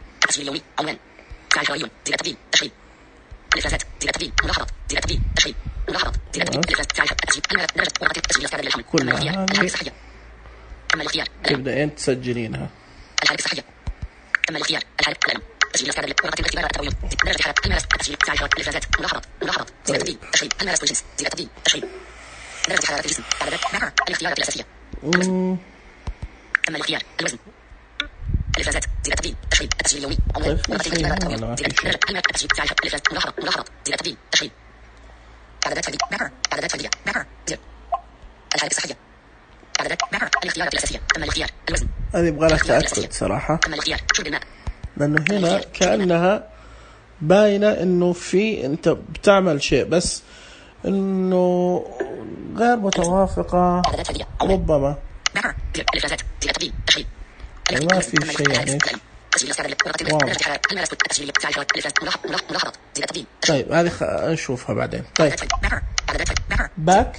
كلها تبدأين تسجلينها. هذه يبغى لها تأكد صراحة، لأنه هنا كأنها باينة إنه في أنت بتعمل شيء، بس إنه غير متوافقة ربما، ما في شيء يعني طيب هذه نشوفها بعدين. طيب باك،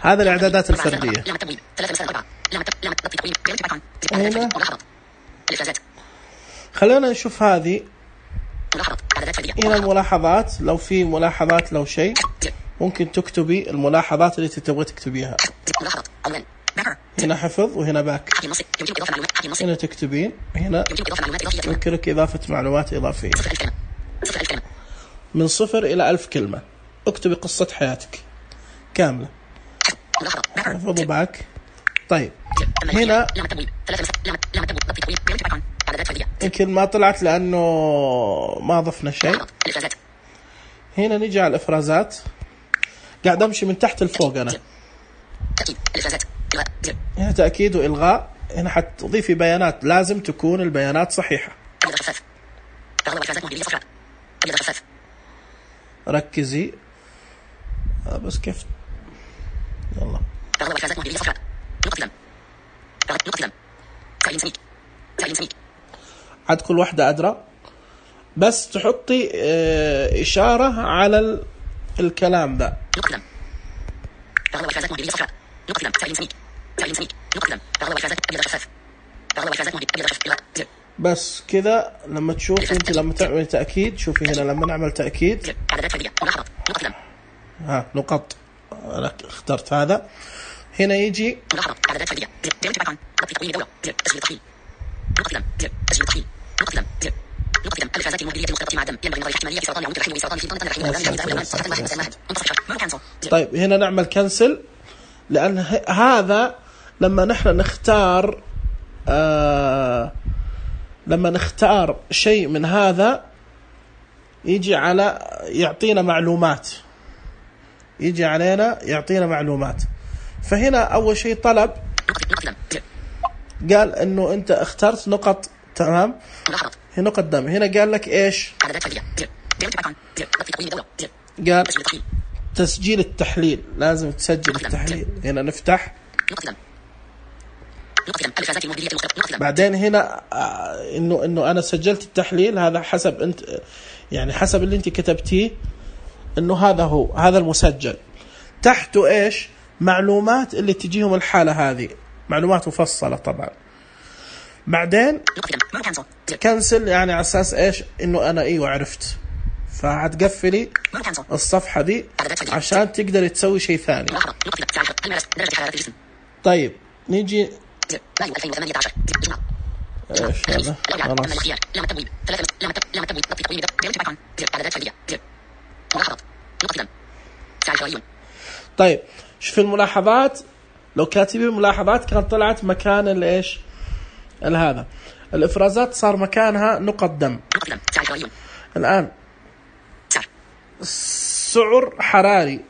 هذا الإعدادات الفردية. هنا خلينا نشوف هذه. هنا الملاحظات، لو في ملاحظات لو شيء ممكن تكتبي الملاحظات اللي تبغى تكتبيها. هنا حفظ وهنا باك. هنا تكتبين، هنا يمكنك إضافة معلومات إضافية من 0 إلى 1000 كلمة. اكتبي قصة حياتك كاملة. حفظوا باك. طيب هنا يمكن ما طلعت لأنه ما ضفنا شيء. هنا نيجي على الإفرازات، قاعد أمشي من تحت لفوق أنا. هنا تأكيد وإلغاء. هنا حتضيفي بيانات، لازم تكون البيانات صحيحة. ركزي بس كيف. يلا عاد كل واحدة أدرى، بس تحطي إشارة على الكلام ذا. بس كذا لما تشوف انت لما تعمل تأكيد، شوفي هنا لما نعمل تأكيد نقط، أنا اخترت هذا. هنا يجي نقطة دم الإفرازات المهبلية المختلطة مع الدم ينبغي النظر في احتمالية سرطان العنق الرحمي وسرطان الفيضان الرحمي. طيب هنا نعمل كنسل، لأن هذا لما نحن نختار لما نختار شيء من هذا يجي على يعطينا معلومات، يجي علينا يعطينا معلومات. فهنا أول شيء طلب قال إنه أنت اخترت نقط، تمام، هي نقط دم. هنا قال لك إيش؟ قال تسجيل التحليل، لازم تسجل التحليل. هنا نفتح، بعدين هنا إنه أنا سجلت التحليل، هذا حسب أنت يعني حسب اللي أنت كتبتيه، إنه هذا هو هذا المسجل. تحته إيش؟ معلومات اللي تجيهم الحالة هذه، معلومات مفصلة طبعا. بعدين كنسل، يعني على أساس إيش؟ إنه أنا أيوة عرفت، فهتقفلي الصفحة دي عشان تقدر تسوي شيء ثاني. طيب نيجي ايش هذا؟ طيب شوف الملاحظات، لو كاتبين ملاحظات كانت طلعت مكان الايش هذا الافرازات صار مكانها نقط دم. الان سعر حراري،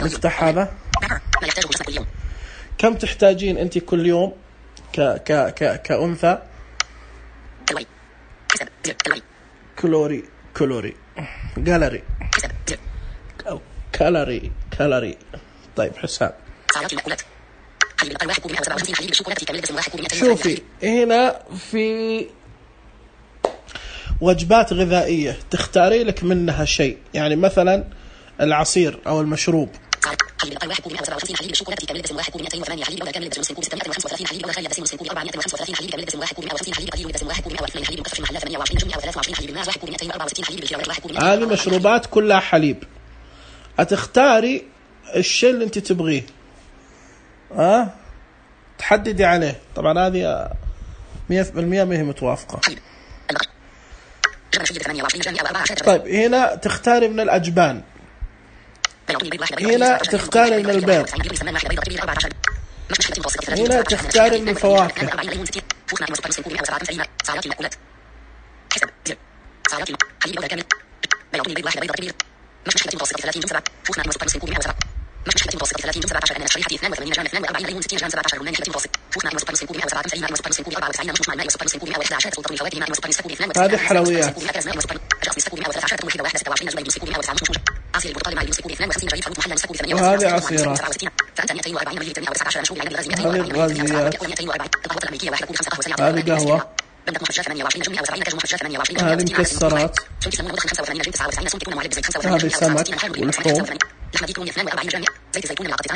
نفتح هذا. كم تحتاجين أنت كل يوم كأنثى؟ كالوري جالري أو كالوري. طيب حساب. شوفي هنا في وجبات غذائية تختاري لك منها شيء، يعني مثلا العصير أو المشروب. هذه مشروبات كلها حليب، هتختاري الشيء اللي انت تبغيه، تحددي عليه. طبعا هذه 100% ما هي متوافقة. طيب هنا تختاري من الأجبان، هنا تختاري من البيض، هنا تختاري من الفواكه. هذه حلويات. وهذه عصيرات. هذه غازيات. هذه قهوة. هذه مكسرات. هذه سمك ولحوم.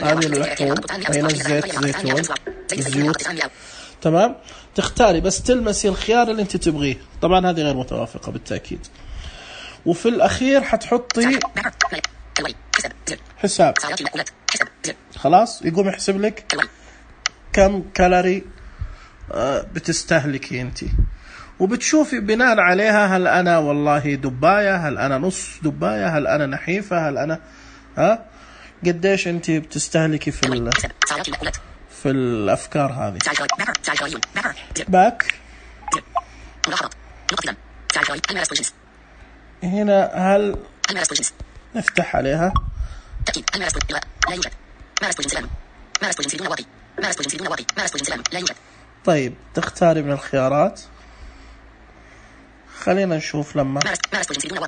هذه اللحوم، هنا الزيت، زيتون، الزيوت. تمام، تختاري بس تلمسي الخيار اللي انت تبغيه. طبعا هذه غير متوافقة بالتأكيد. وفي الأخير حتحطي حساب، خلاص يقوم يحسب لك كم كالوري بتستهلكي انت، وبتشوفي بناء عليها هل أنا والله دباية، هل أنا نص دباية، هل أنا نحيفة، هل أنا قديش انت بتستهلكي في الأفكار هذه. باك هنا هل نفتح عليها. طيب تختاري من الخيارات. خلينا نشوف لما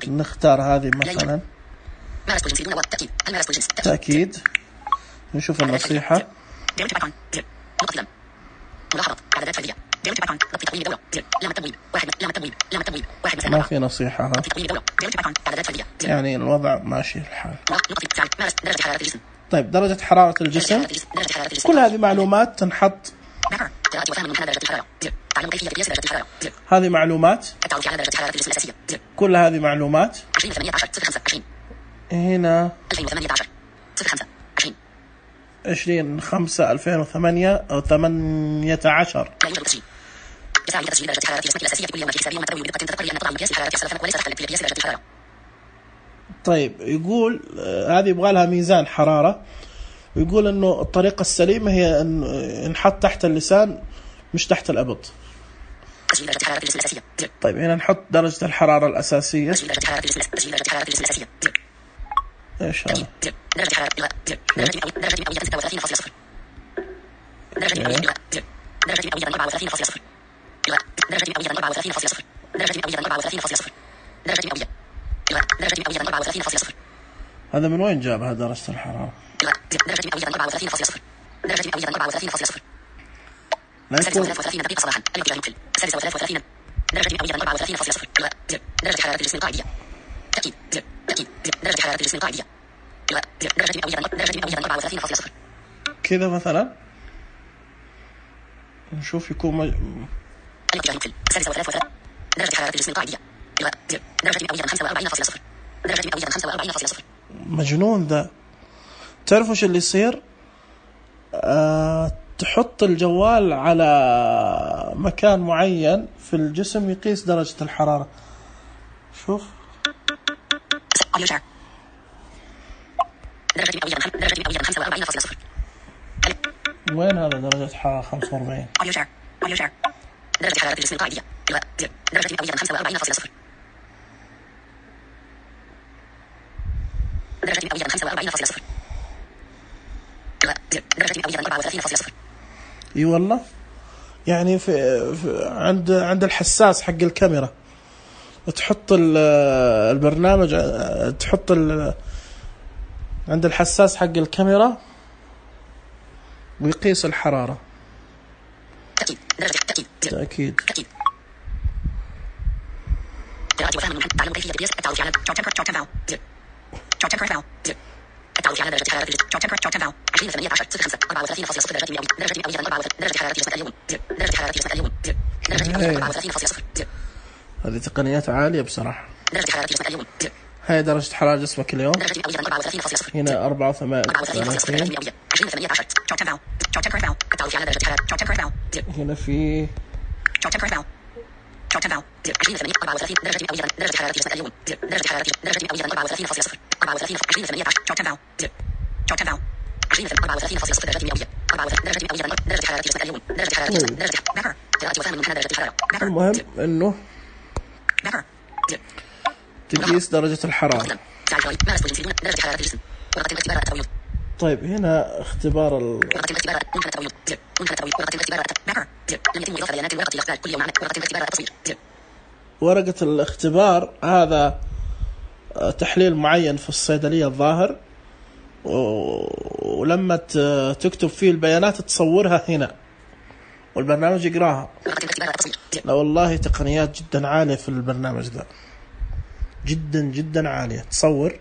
نختار هذه مثلا تأكيد، نشوف النصيحة. ما في نصيحة، يعني الوضع ماشي الحال. طيب درجة حرارة الجسم، كل هذه معلومات تنحط. هذه معلومات، كل هذه معلومات. هنا 20/5/2008 أو 18. يساعد تسجيل درجة حرارة جسمك الأساسية كل يوم في حسابي ومتروي بدقة تذكر لأن طبعا مقياس الحرارة يختلف وليس تحت في قياس درجة الحرارة. طيب يقول هذه يبغى لها ميزان حرارة، ويقول إنه الطريقة السليمة هي أن نحط تحت اللسان مش تحت الأبط. تسجيل درجة حرارة الجسم الأساسية. طيب هنا نحط درجة الحرارة الأساسية. تسجيل درجة حرارة الجسم الأساسية. إيش هذا؟ درجة حرارة درجة مئوية 36.0. درجة مئوية 34.0. درجة مئوية 34.0. درجة مئوية 34.0. درجة مئوية 34.0. هذا من وين جابها درجة الحرارة؟ درجة مئوية 34.0. درجة مئوية 34.0. لا يكون 33 دقيقة صباحا. الاتجاه المقفل 36. درجة مئوية 34.0. درجة حرارة الجسم القاعدية. تأكيد. درجة حرارة الجسم القاعدية. درجة مئوية 34.0. كذا مثلا نشوف يكون الاتجاه المقفل 36. درجة حرارة الجسم القاعدية. درجة مئوية 45.0. درجة مئوية 45.0. مجنون ذا. تعرف وش اللي يصير؟ تحط الجوال على مكان معين في الجسم يقيس درجة الحرارة. شوف درجة مئوية 45.0. وين هذا درجة حرارة 45؟ درجة حرارة الجسم القاعدية. درجة مئوية 45.0. درجة مئوية 45.0. درجة مئوية 34.0. اي والله. يعني عند الحساس حق الكاميرا تحط البرنامج، تحط عند الحساس حق الكاميرا ويقيس الحرارة. تأكيد. قراءة وفهم من تعلم كيفية قياس التعرف على التعرف على درجة حرارة الجسم. 2018 05 34.0 درجة مئوية. درجة مئوية 34. درجة حرارة جسمك اليوم. درجة حرارة جسمك اليوم. درجة مئوية 34.0. هذه تقنيات عالية بصراحة. درجة حرارة جسمك اليوم. هاي درجة حرارة جسمك اليوم. درجة مئوية 34.0. هنا 34. 2018 التعرف على درجة حرارة. هنا في 20 درجة مئوية. درجة حرارة جسمك اليوم. درجة حرارة درجة مئوية 34.0. 34. 2018 درجة مئوية. 34 درجة مئوية. درجة حرارة جسمك اليوم. درجة حرارة درجة قراءة وفهم من درجة الحرارة. المهم إنه تقيس درجة الحرارة. درجة حرارة الجسم. طيب هنا اختبار ورقة الاختبار. هذا تحليل معين في الصيدلية الظاهر، ولما تكتب فيه البيانات تصورها هنا والبرنامج يقراها. لا والله تقنيات جدا عالية في البرنامج ذا، جدا جدا عالية. تصور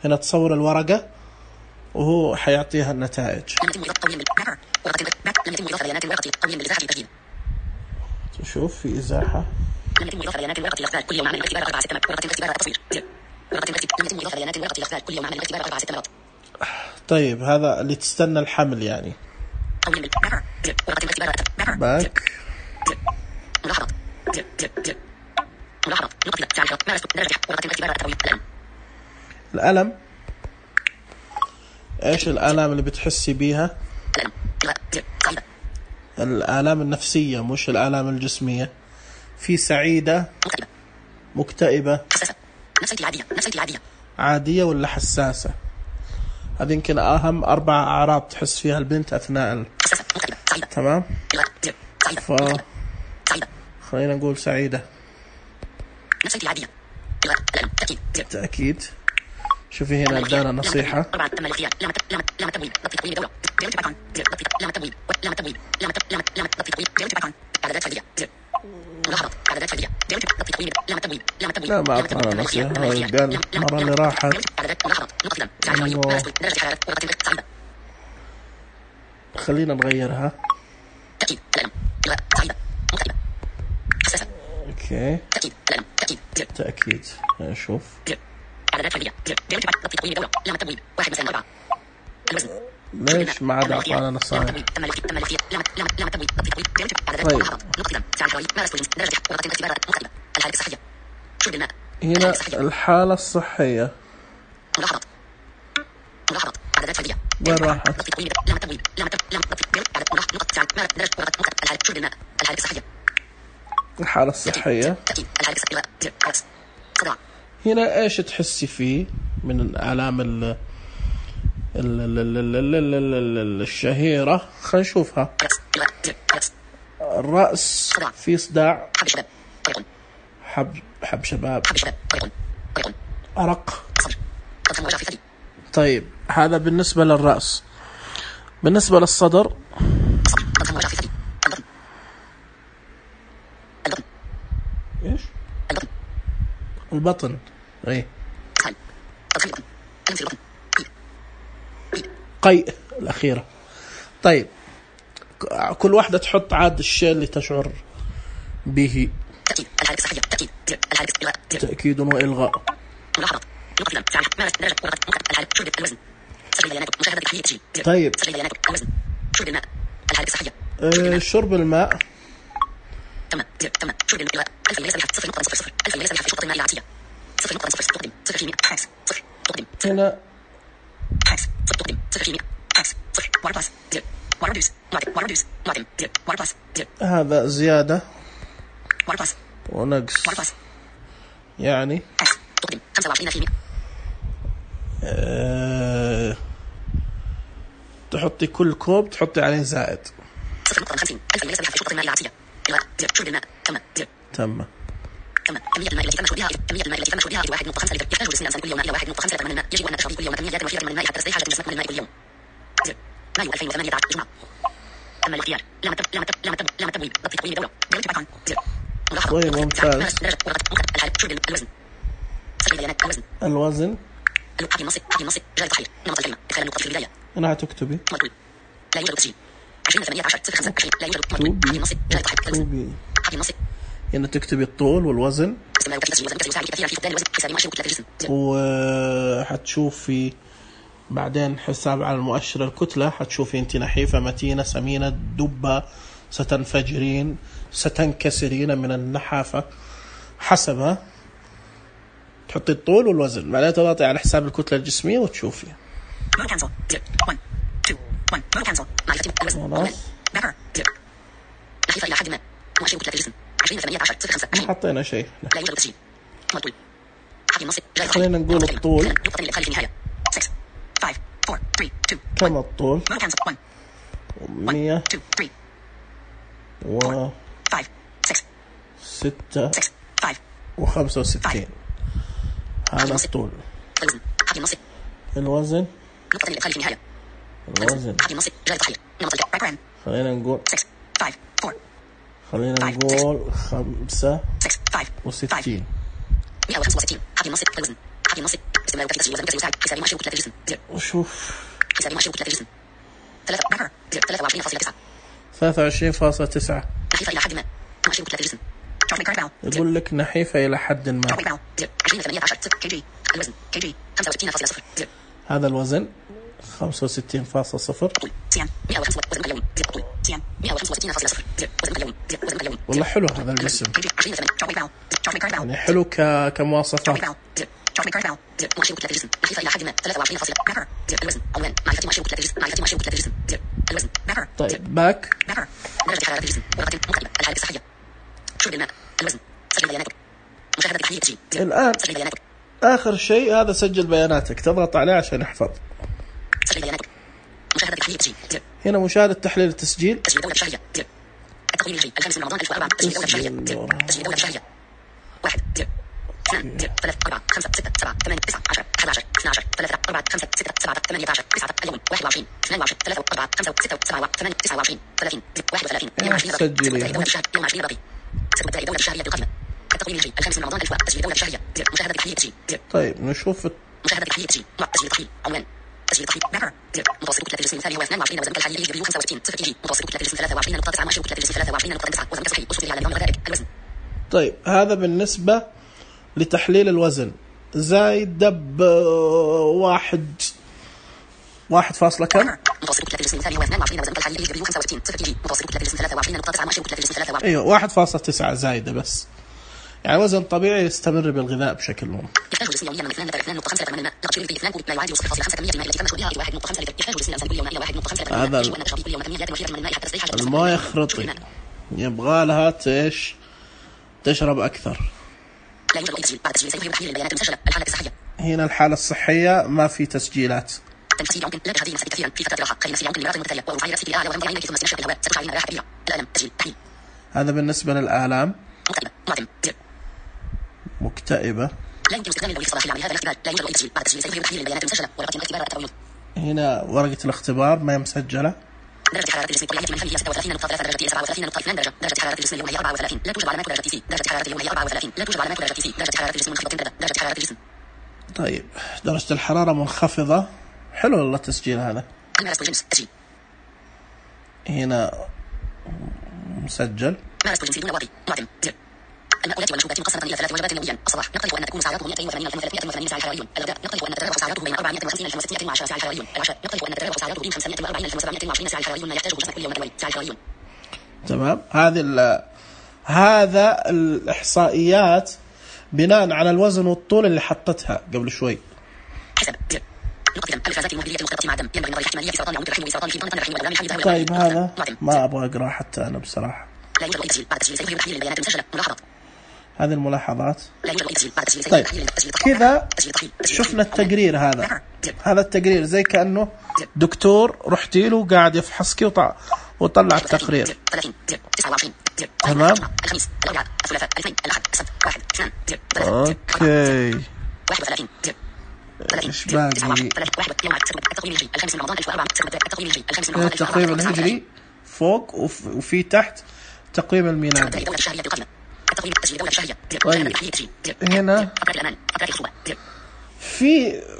هنا، تصور الورقة وهو حيعطيها النتائج. تشوف في إزاحة. طيب هذا اللي تستنى الحمل يعني. باك الألم. ايش الآلام اللي بتحسي بيها؟ الآلام النفسية مش الآلام الجسمية. في سعيدة، مكتئبة، عادية ولا حساسة. هذه يمكن أهم 4 أعراض تحس فيها البنت أثناء تمام. خلينا نقول سعيدة. تأكيد. شوفي هنا ادانا نصيحة. لا ما أعطانا نصيحة. قال مرة اللي راحت خلينا نغيرها. اوكي تأكيد. نشوف ليش ما عاد أعطانا نصائح؟ طيب هنا الحالة الصحية وين راحت؟ الحالة الصحية هنا ايش تحسي فيه من الآلام الشهيرة؟ خلينا نشوفها. الرأس في صداع، حب شباب، أرق. طيب هذا بالنسبة للرأس. بالنسبة للصدر ايش؟ البطن. ايه قيء الأخيرة. طيب كل واحدة تحط عاد الشيء اللي تشعر به. تأكيد وإلغاء. طيب شرب الماء. هنا هذا زيادة ونقص يعني تحطي كل كوب تحطي عليه زائد. تم. كمية الماء التي تم شربها 1.5 لتر. يحتاج جسم الإنسان كل يوم إلى 1.5 لتر من الماء. يجب أن نشرب كل يوم كميات كثيرة من الماء حتى تسدي حاجة الجسم من الماء كل يوم. مايو 2018 جمعة. تم الاختيار. لا تبويب. ضبط تقويم الدورة. طيب ممتاز. الوزن. الوزن. جاء التحرير. نمط الكلمة. إدخال النقطة في البداية. أنا هتكتبي. لا يوجد تسجيل. 2018 لا يوجد جاء التحرير. هنا تكتبي الطول والوزن وحتشوفي بعدين حساب على المؤشر الكتلة. حتشوفي انت نحيفة، متينة، سمينة، دبة، ستنفجرين، ستنكسرين من النحافة، حسبها تحطي الطول والوزن. بعدين تضغطي على حساب الكتلة الجسمية وتشوفي. نحيفة إلى حد ما. مؤشر كتلة الجسم 2018 حطينا شيء. لا يوجد تسجيل. خلينا نقول الطول. كم الطول؟ 100 و65. هذا الطول. الوزن. الوزن خلينا نقول 65. 165. وشوف 23.9. يقول لك نحيفة إلى حد ما. هذا الوزن 65.0. والله حلو هذا الجسم، يعني حلو كمواصفات. طيب باك. الآن آخر شيء هذا سجل بياناتك، تضغط عليه عشان يحفظ. هنا مشاهدة تحليل التسجيل. تسجيل دولة شهرية. التقويم الهجري 5 من رمضان 2004. تسجيل دولة شهرية. 1 2 3 4 5 6 7 8 9 10 11 12 13 14 5 6 7 18 9 اليوم 21 22 3 4 5 6 7 8 29 30 31 22 يوم 20 باقي. تسجيل دولة شهرية بالقائمة. التقويم الهجري 5 من رمضان 2004. تسجيل دولة شهرية. مشاهدة تحليل التسجيل. طيب نشوف مشاهدة تحليل التسجيل. تسجيل تحليل عنوان. تسجيل تحليل بابر. متوسط كتلة الجسم الثاني هو 22 وزن الحالي يجري 65 0 كيجي. متوسط كتلة الجسم 23.9 مؤشر كتلة الجسم 23.9 وزن صحي أسطوري على نظام غذائك. الوزن. طيب هذا بالنسبة لتحليل الوزن. زايد دب واحد 1 كم؟ متوسط كتلة الجسم 22 وزن الحالي يجري 65 0 كيجي. متوسط كتلة الجسم 23.9 ماشي كتلة الجسم 23. ايوه 1.9 زايدة بس، يعني وزن طبيعي يستمر بالغذاء بشكل مهم. يحتاج الجسم يوميا من 2.5 من الماء. نقص في 2 كوب لا يعادل 0.5 كمية الماء التي تم شربها إلى 1.5 لتر. يحتاج الجسم الإنسان كل يوم إلى 1.5 لتر. هذا يجب أن تشرب كل يوم كميات وفيرة من الماء حتى تستريح. الماء خرطي، يبغى لها ايش؟ تشرب أكثر. لا يوجد أي تسجيل بعد تسجيل سيظهر تحليل البيانات المسجلة. الحالة الصحية. هنا الحالة الصحية ما في تسجيلات. تنفيذ عمق. لا تشاهدي نفسك كثيرا في فترة راحة. خلي نفسي عمق لمرات متتالية ورفعي رأسك الأعلى وغمضي عينيك ثم استنشقي الهواء. ستشعرين راحة كبيرة. الألم. تسجيل. تحليل. هذا بالنسبة للآلام. مكتئبة. معتم. زر. مكتئبة. لا يمكن استخدام الوظيفة الصلاحية لهذا الاختبار. لا يوجد أي تسجيل بعد تسجيل سيظهر تحليل البيانات المسجلة. ورقة الاختبار التويض. هنا ورقة الاختبار ما هي مسجلة. درجة حرارة الجسم الطبيعية من فمه 36.3 درجة 37.2 درجة. درجة حرارة الجسم اليوم هي 34. لا توجد علامات درجة سي. درجة حرارة اليوم هي 34. لا توجد علامات درجة سي. درجة حرارة الجسم منخفضة جدا. درجة حرارة الجسم. طيب درجة الحرارة منخفضة. حلو والله التسجيل هذا. مارس الجنس. تسجيل. هنا مسجل. مارس الجنس دون واقي. معتم. زر. المأكولات والمشروبات مقسمة إلى 3 وجبات يوميا. الصباح نقترح أن تكون سعراته 280 ساعة حراريون. الغداء نقترح أن تتراوح سعراته بين 450 ألف و610 ساعة حراريون. العشاء نقترح أن تتراوح سعراته بين 540 ألف و720 ساعة حراريون. ما يحتاجه جسمك كل يوم متوالي. ساعة حراريون. تمام. هذا الإحصائيات بناء على الوزن والطول اللي حطتها قبل شوي. حسب. زر. نقطة الغازات المهدرية المختلطة مع الدم ينبغي نظر احتمالية في سرطان عنق الرحم وسرطان في ضمن الرحم والأورام الحميدة. طيب هذا ما أبغى أقرأ حتى أنا بصراحة. لا يوجد أي تسجيل بعد تسجيل سيظهر تحليل البيانات المسجلة. ملاحظات. هذه الملاحظات. لا يوجد أي تسجيل بعد تسجيل طيب سيظهر تحليل. كذا شفنا التقرير هذا. هذا التقرير زي كأنه دكتور رحتي له قاعد يفحصك وطلع التقرير. 30 29 تمام. الخميس الأربعاء الثلاثاء الاثنين الأحد السبت 1 2 اوكي 31 ايش باقي؟ التقويم الهجري فوق وفي تحت تقويم الميلادي. طيب هنا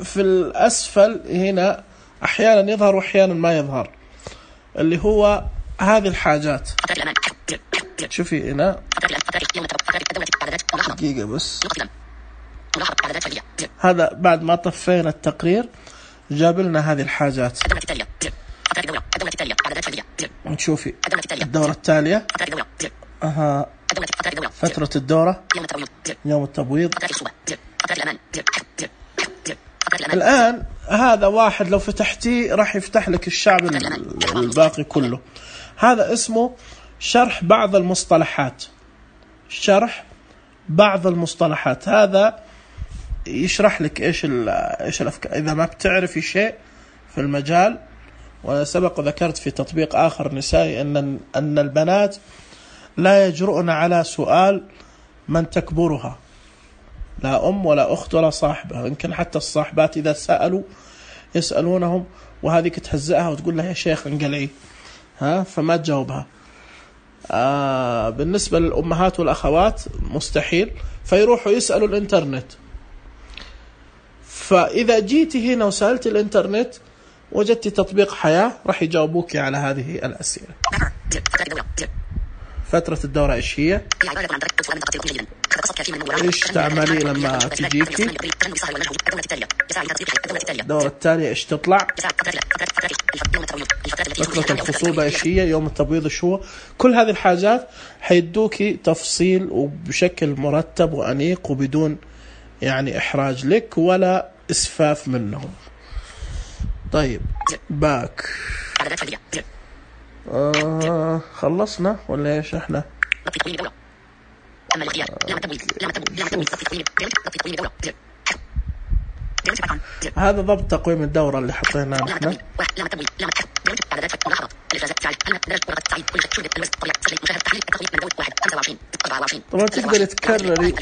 في الأسفل هنا أحيانا يظهر وأحيانا ما يظهر، اللي هو هذه الحاجات. شوفي هنا دقيقة بس، هذا بعد ما طفينا التقرير جاب لنا هذه الحاجات. نشوفي الدورة التالية. فترة الدورة، يوم التبويض. الآن هذا واحد لو فتحتيه راح يفتح لك الشعب الباقي كله. هذا اسمه شرح بعض المصطلحات. شرح بعض المصطلحات هذا يشرح لك ايش الافكار اذا ما بتعرفي شيء في المجال. وسبق وذكرت في تطبيق اخر نسائي ان البنات لا يجرؤن على سؤال من تكبرها، لا ام ولا اخت ولا صاحبه. يمكن حتى الصاحبات اذا سالوا يسالونهم وهذيك تهزئها وتقول لها يا شيخ انقلعي، فما تجاوبها. بالنسبه للامهات والاخوات مستحيل، فيروحوا يسالوا الانترنت. فإذا جيتي هنا وسألت الإنترنت وجدت تطبيق حياة راح يجاوبوك على هذه الأسئلة. فترة الدورة إيش هي؟ إيش تعملي لما تجيكي؟ الدورة التالية إيش تطلع؟ فترة الخصوبة إيش هي؟ يوم التبويض إيش هو؟ كل هذه الحاجات حيدوكي تفصيل وبشكل مرتب وأنيق وبدون يعني إحراج لك ولا إسفاف منهم. طيب باك خلصنا ولا إيش إحنا؟ هذا ضبط تقويم الدورة اللي حطيناه نحن. طبعا تقدر تكرري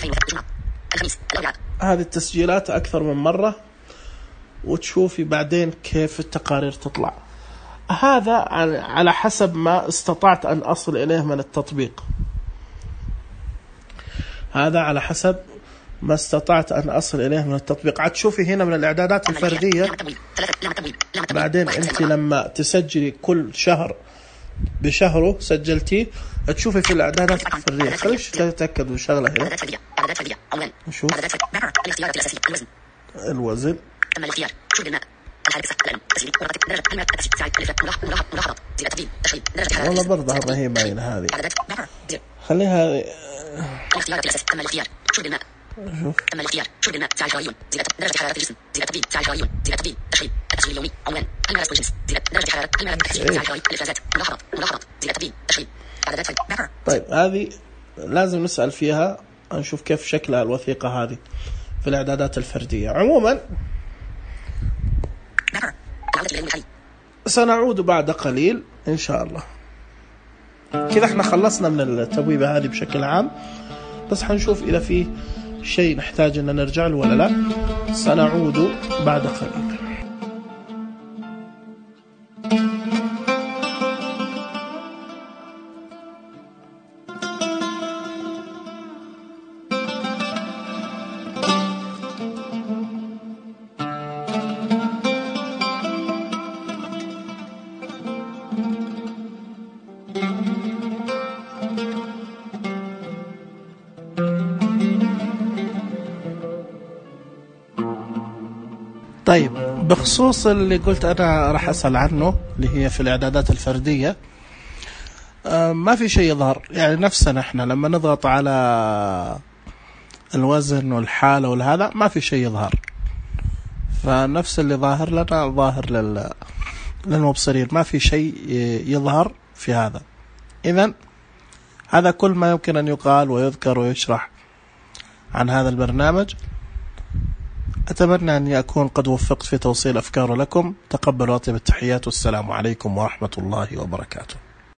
هذه التسجيلات أكثر من مرة وتشوفي بعدين كيف التقارير تطلع. هذا على حسب ما استطعت أن أصل إليه من التطبيق. هذا على حسب ما استطعت أن أصل إليه من التطبيق. عاد شوفي هنا من الإعدادات الفردية. بعدين أنت لما تسجلي كل شهر بشهره سجلتيه تشوفي في الإعدادات الفردية. خليش تتأكدوا شغلة هنا. نشوف الوزن. والله برضه ما هي باينة هذه. خليها الاختيار تم الاختيار شرب الماء. تم الاختيار شرب الماء ساعة حرارة زيادة درجة حرارة الجسم زيادة تبديل ساعة حرارة زيادة تبديل تشريب التسويل اليومي عنوان الممارسة والجنس زيادة درجة حرارة الممارسة التكثيف ساعة حرارة الإفرازات ملاحظات زيادة تبديل تشريب إعدادات طيب هذه لازم نسأل فيها نشوف كيف شكلها الوثيقة هذه في الإعدادات الفردية. عموما سنعود بعد قليل إن شاء الله. كذا احنا خلصنا من التبويبة هذه بشكل عام، بس حنشوف إذا في شيء نحتاج أن نرجع له ولا لا. سنعود بعد قليل. طيب بخصوص اللي قلت أنا راح أسأل عنه اللي هي في الإعدادات الفردية، ما في شيء يظهر، يعني نفسنا إحنا لما نضغط على الوزن والحالة والهذا ما في شيء يظهر، فنفس اللي ظاهر لنا ظاهر للمبصرين، ما في شيء يظهر في هذا. إذن هذا كل ما يمكن أن يقال ويذكر ويشرح عن هذا البرنامج. أتمنى أن أكون قد وفقت في توصيل أفكاره لكم. تقبلوا أطيب التحيات والسلام عليكم ورحمة الله وبركاته.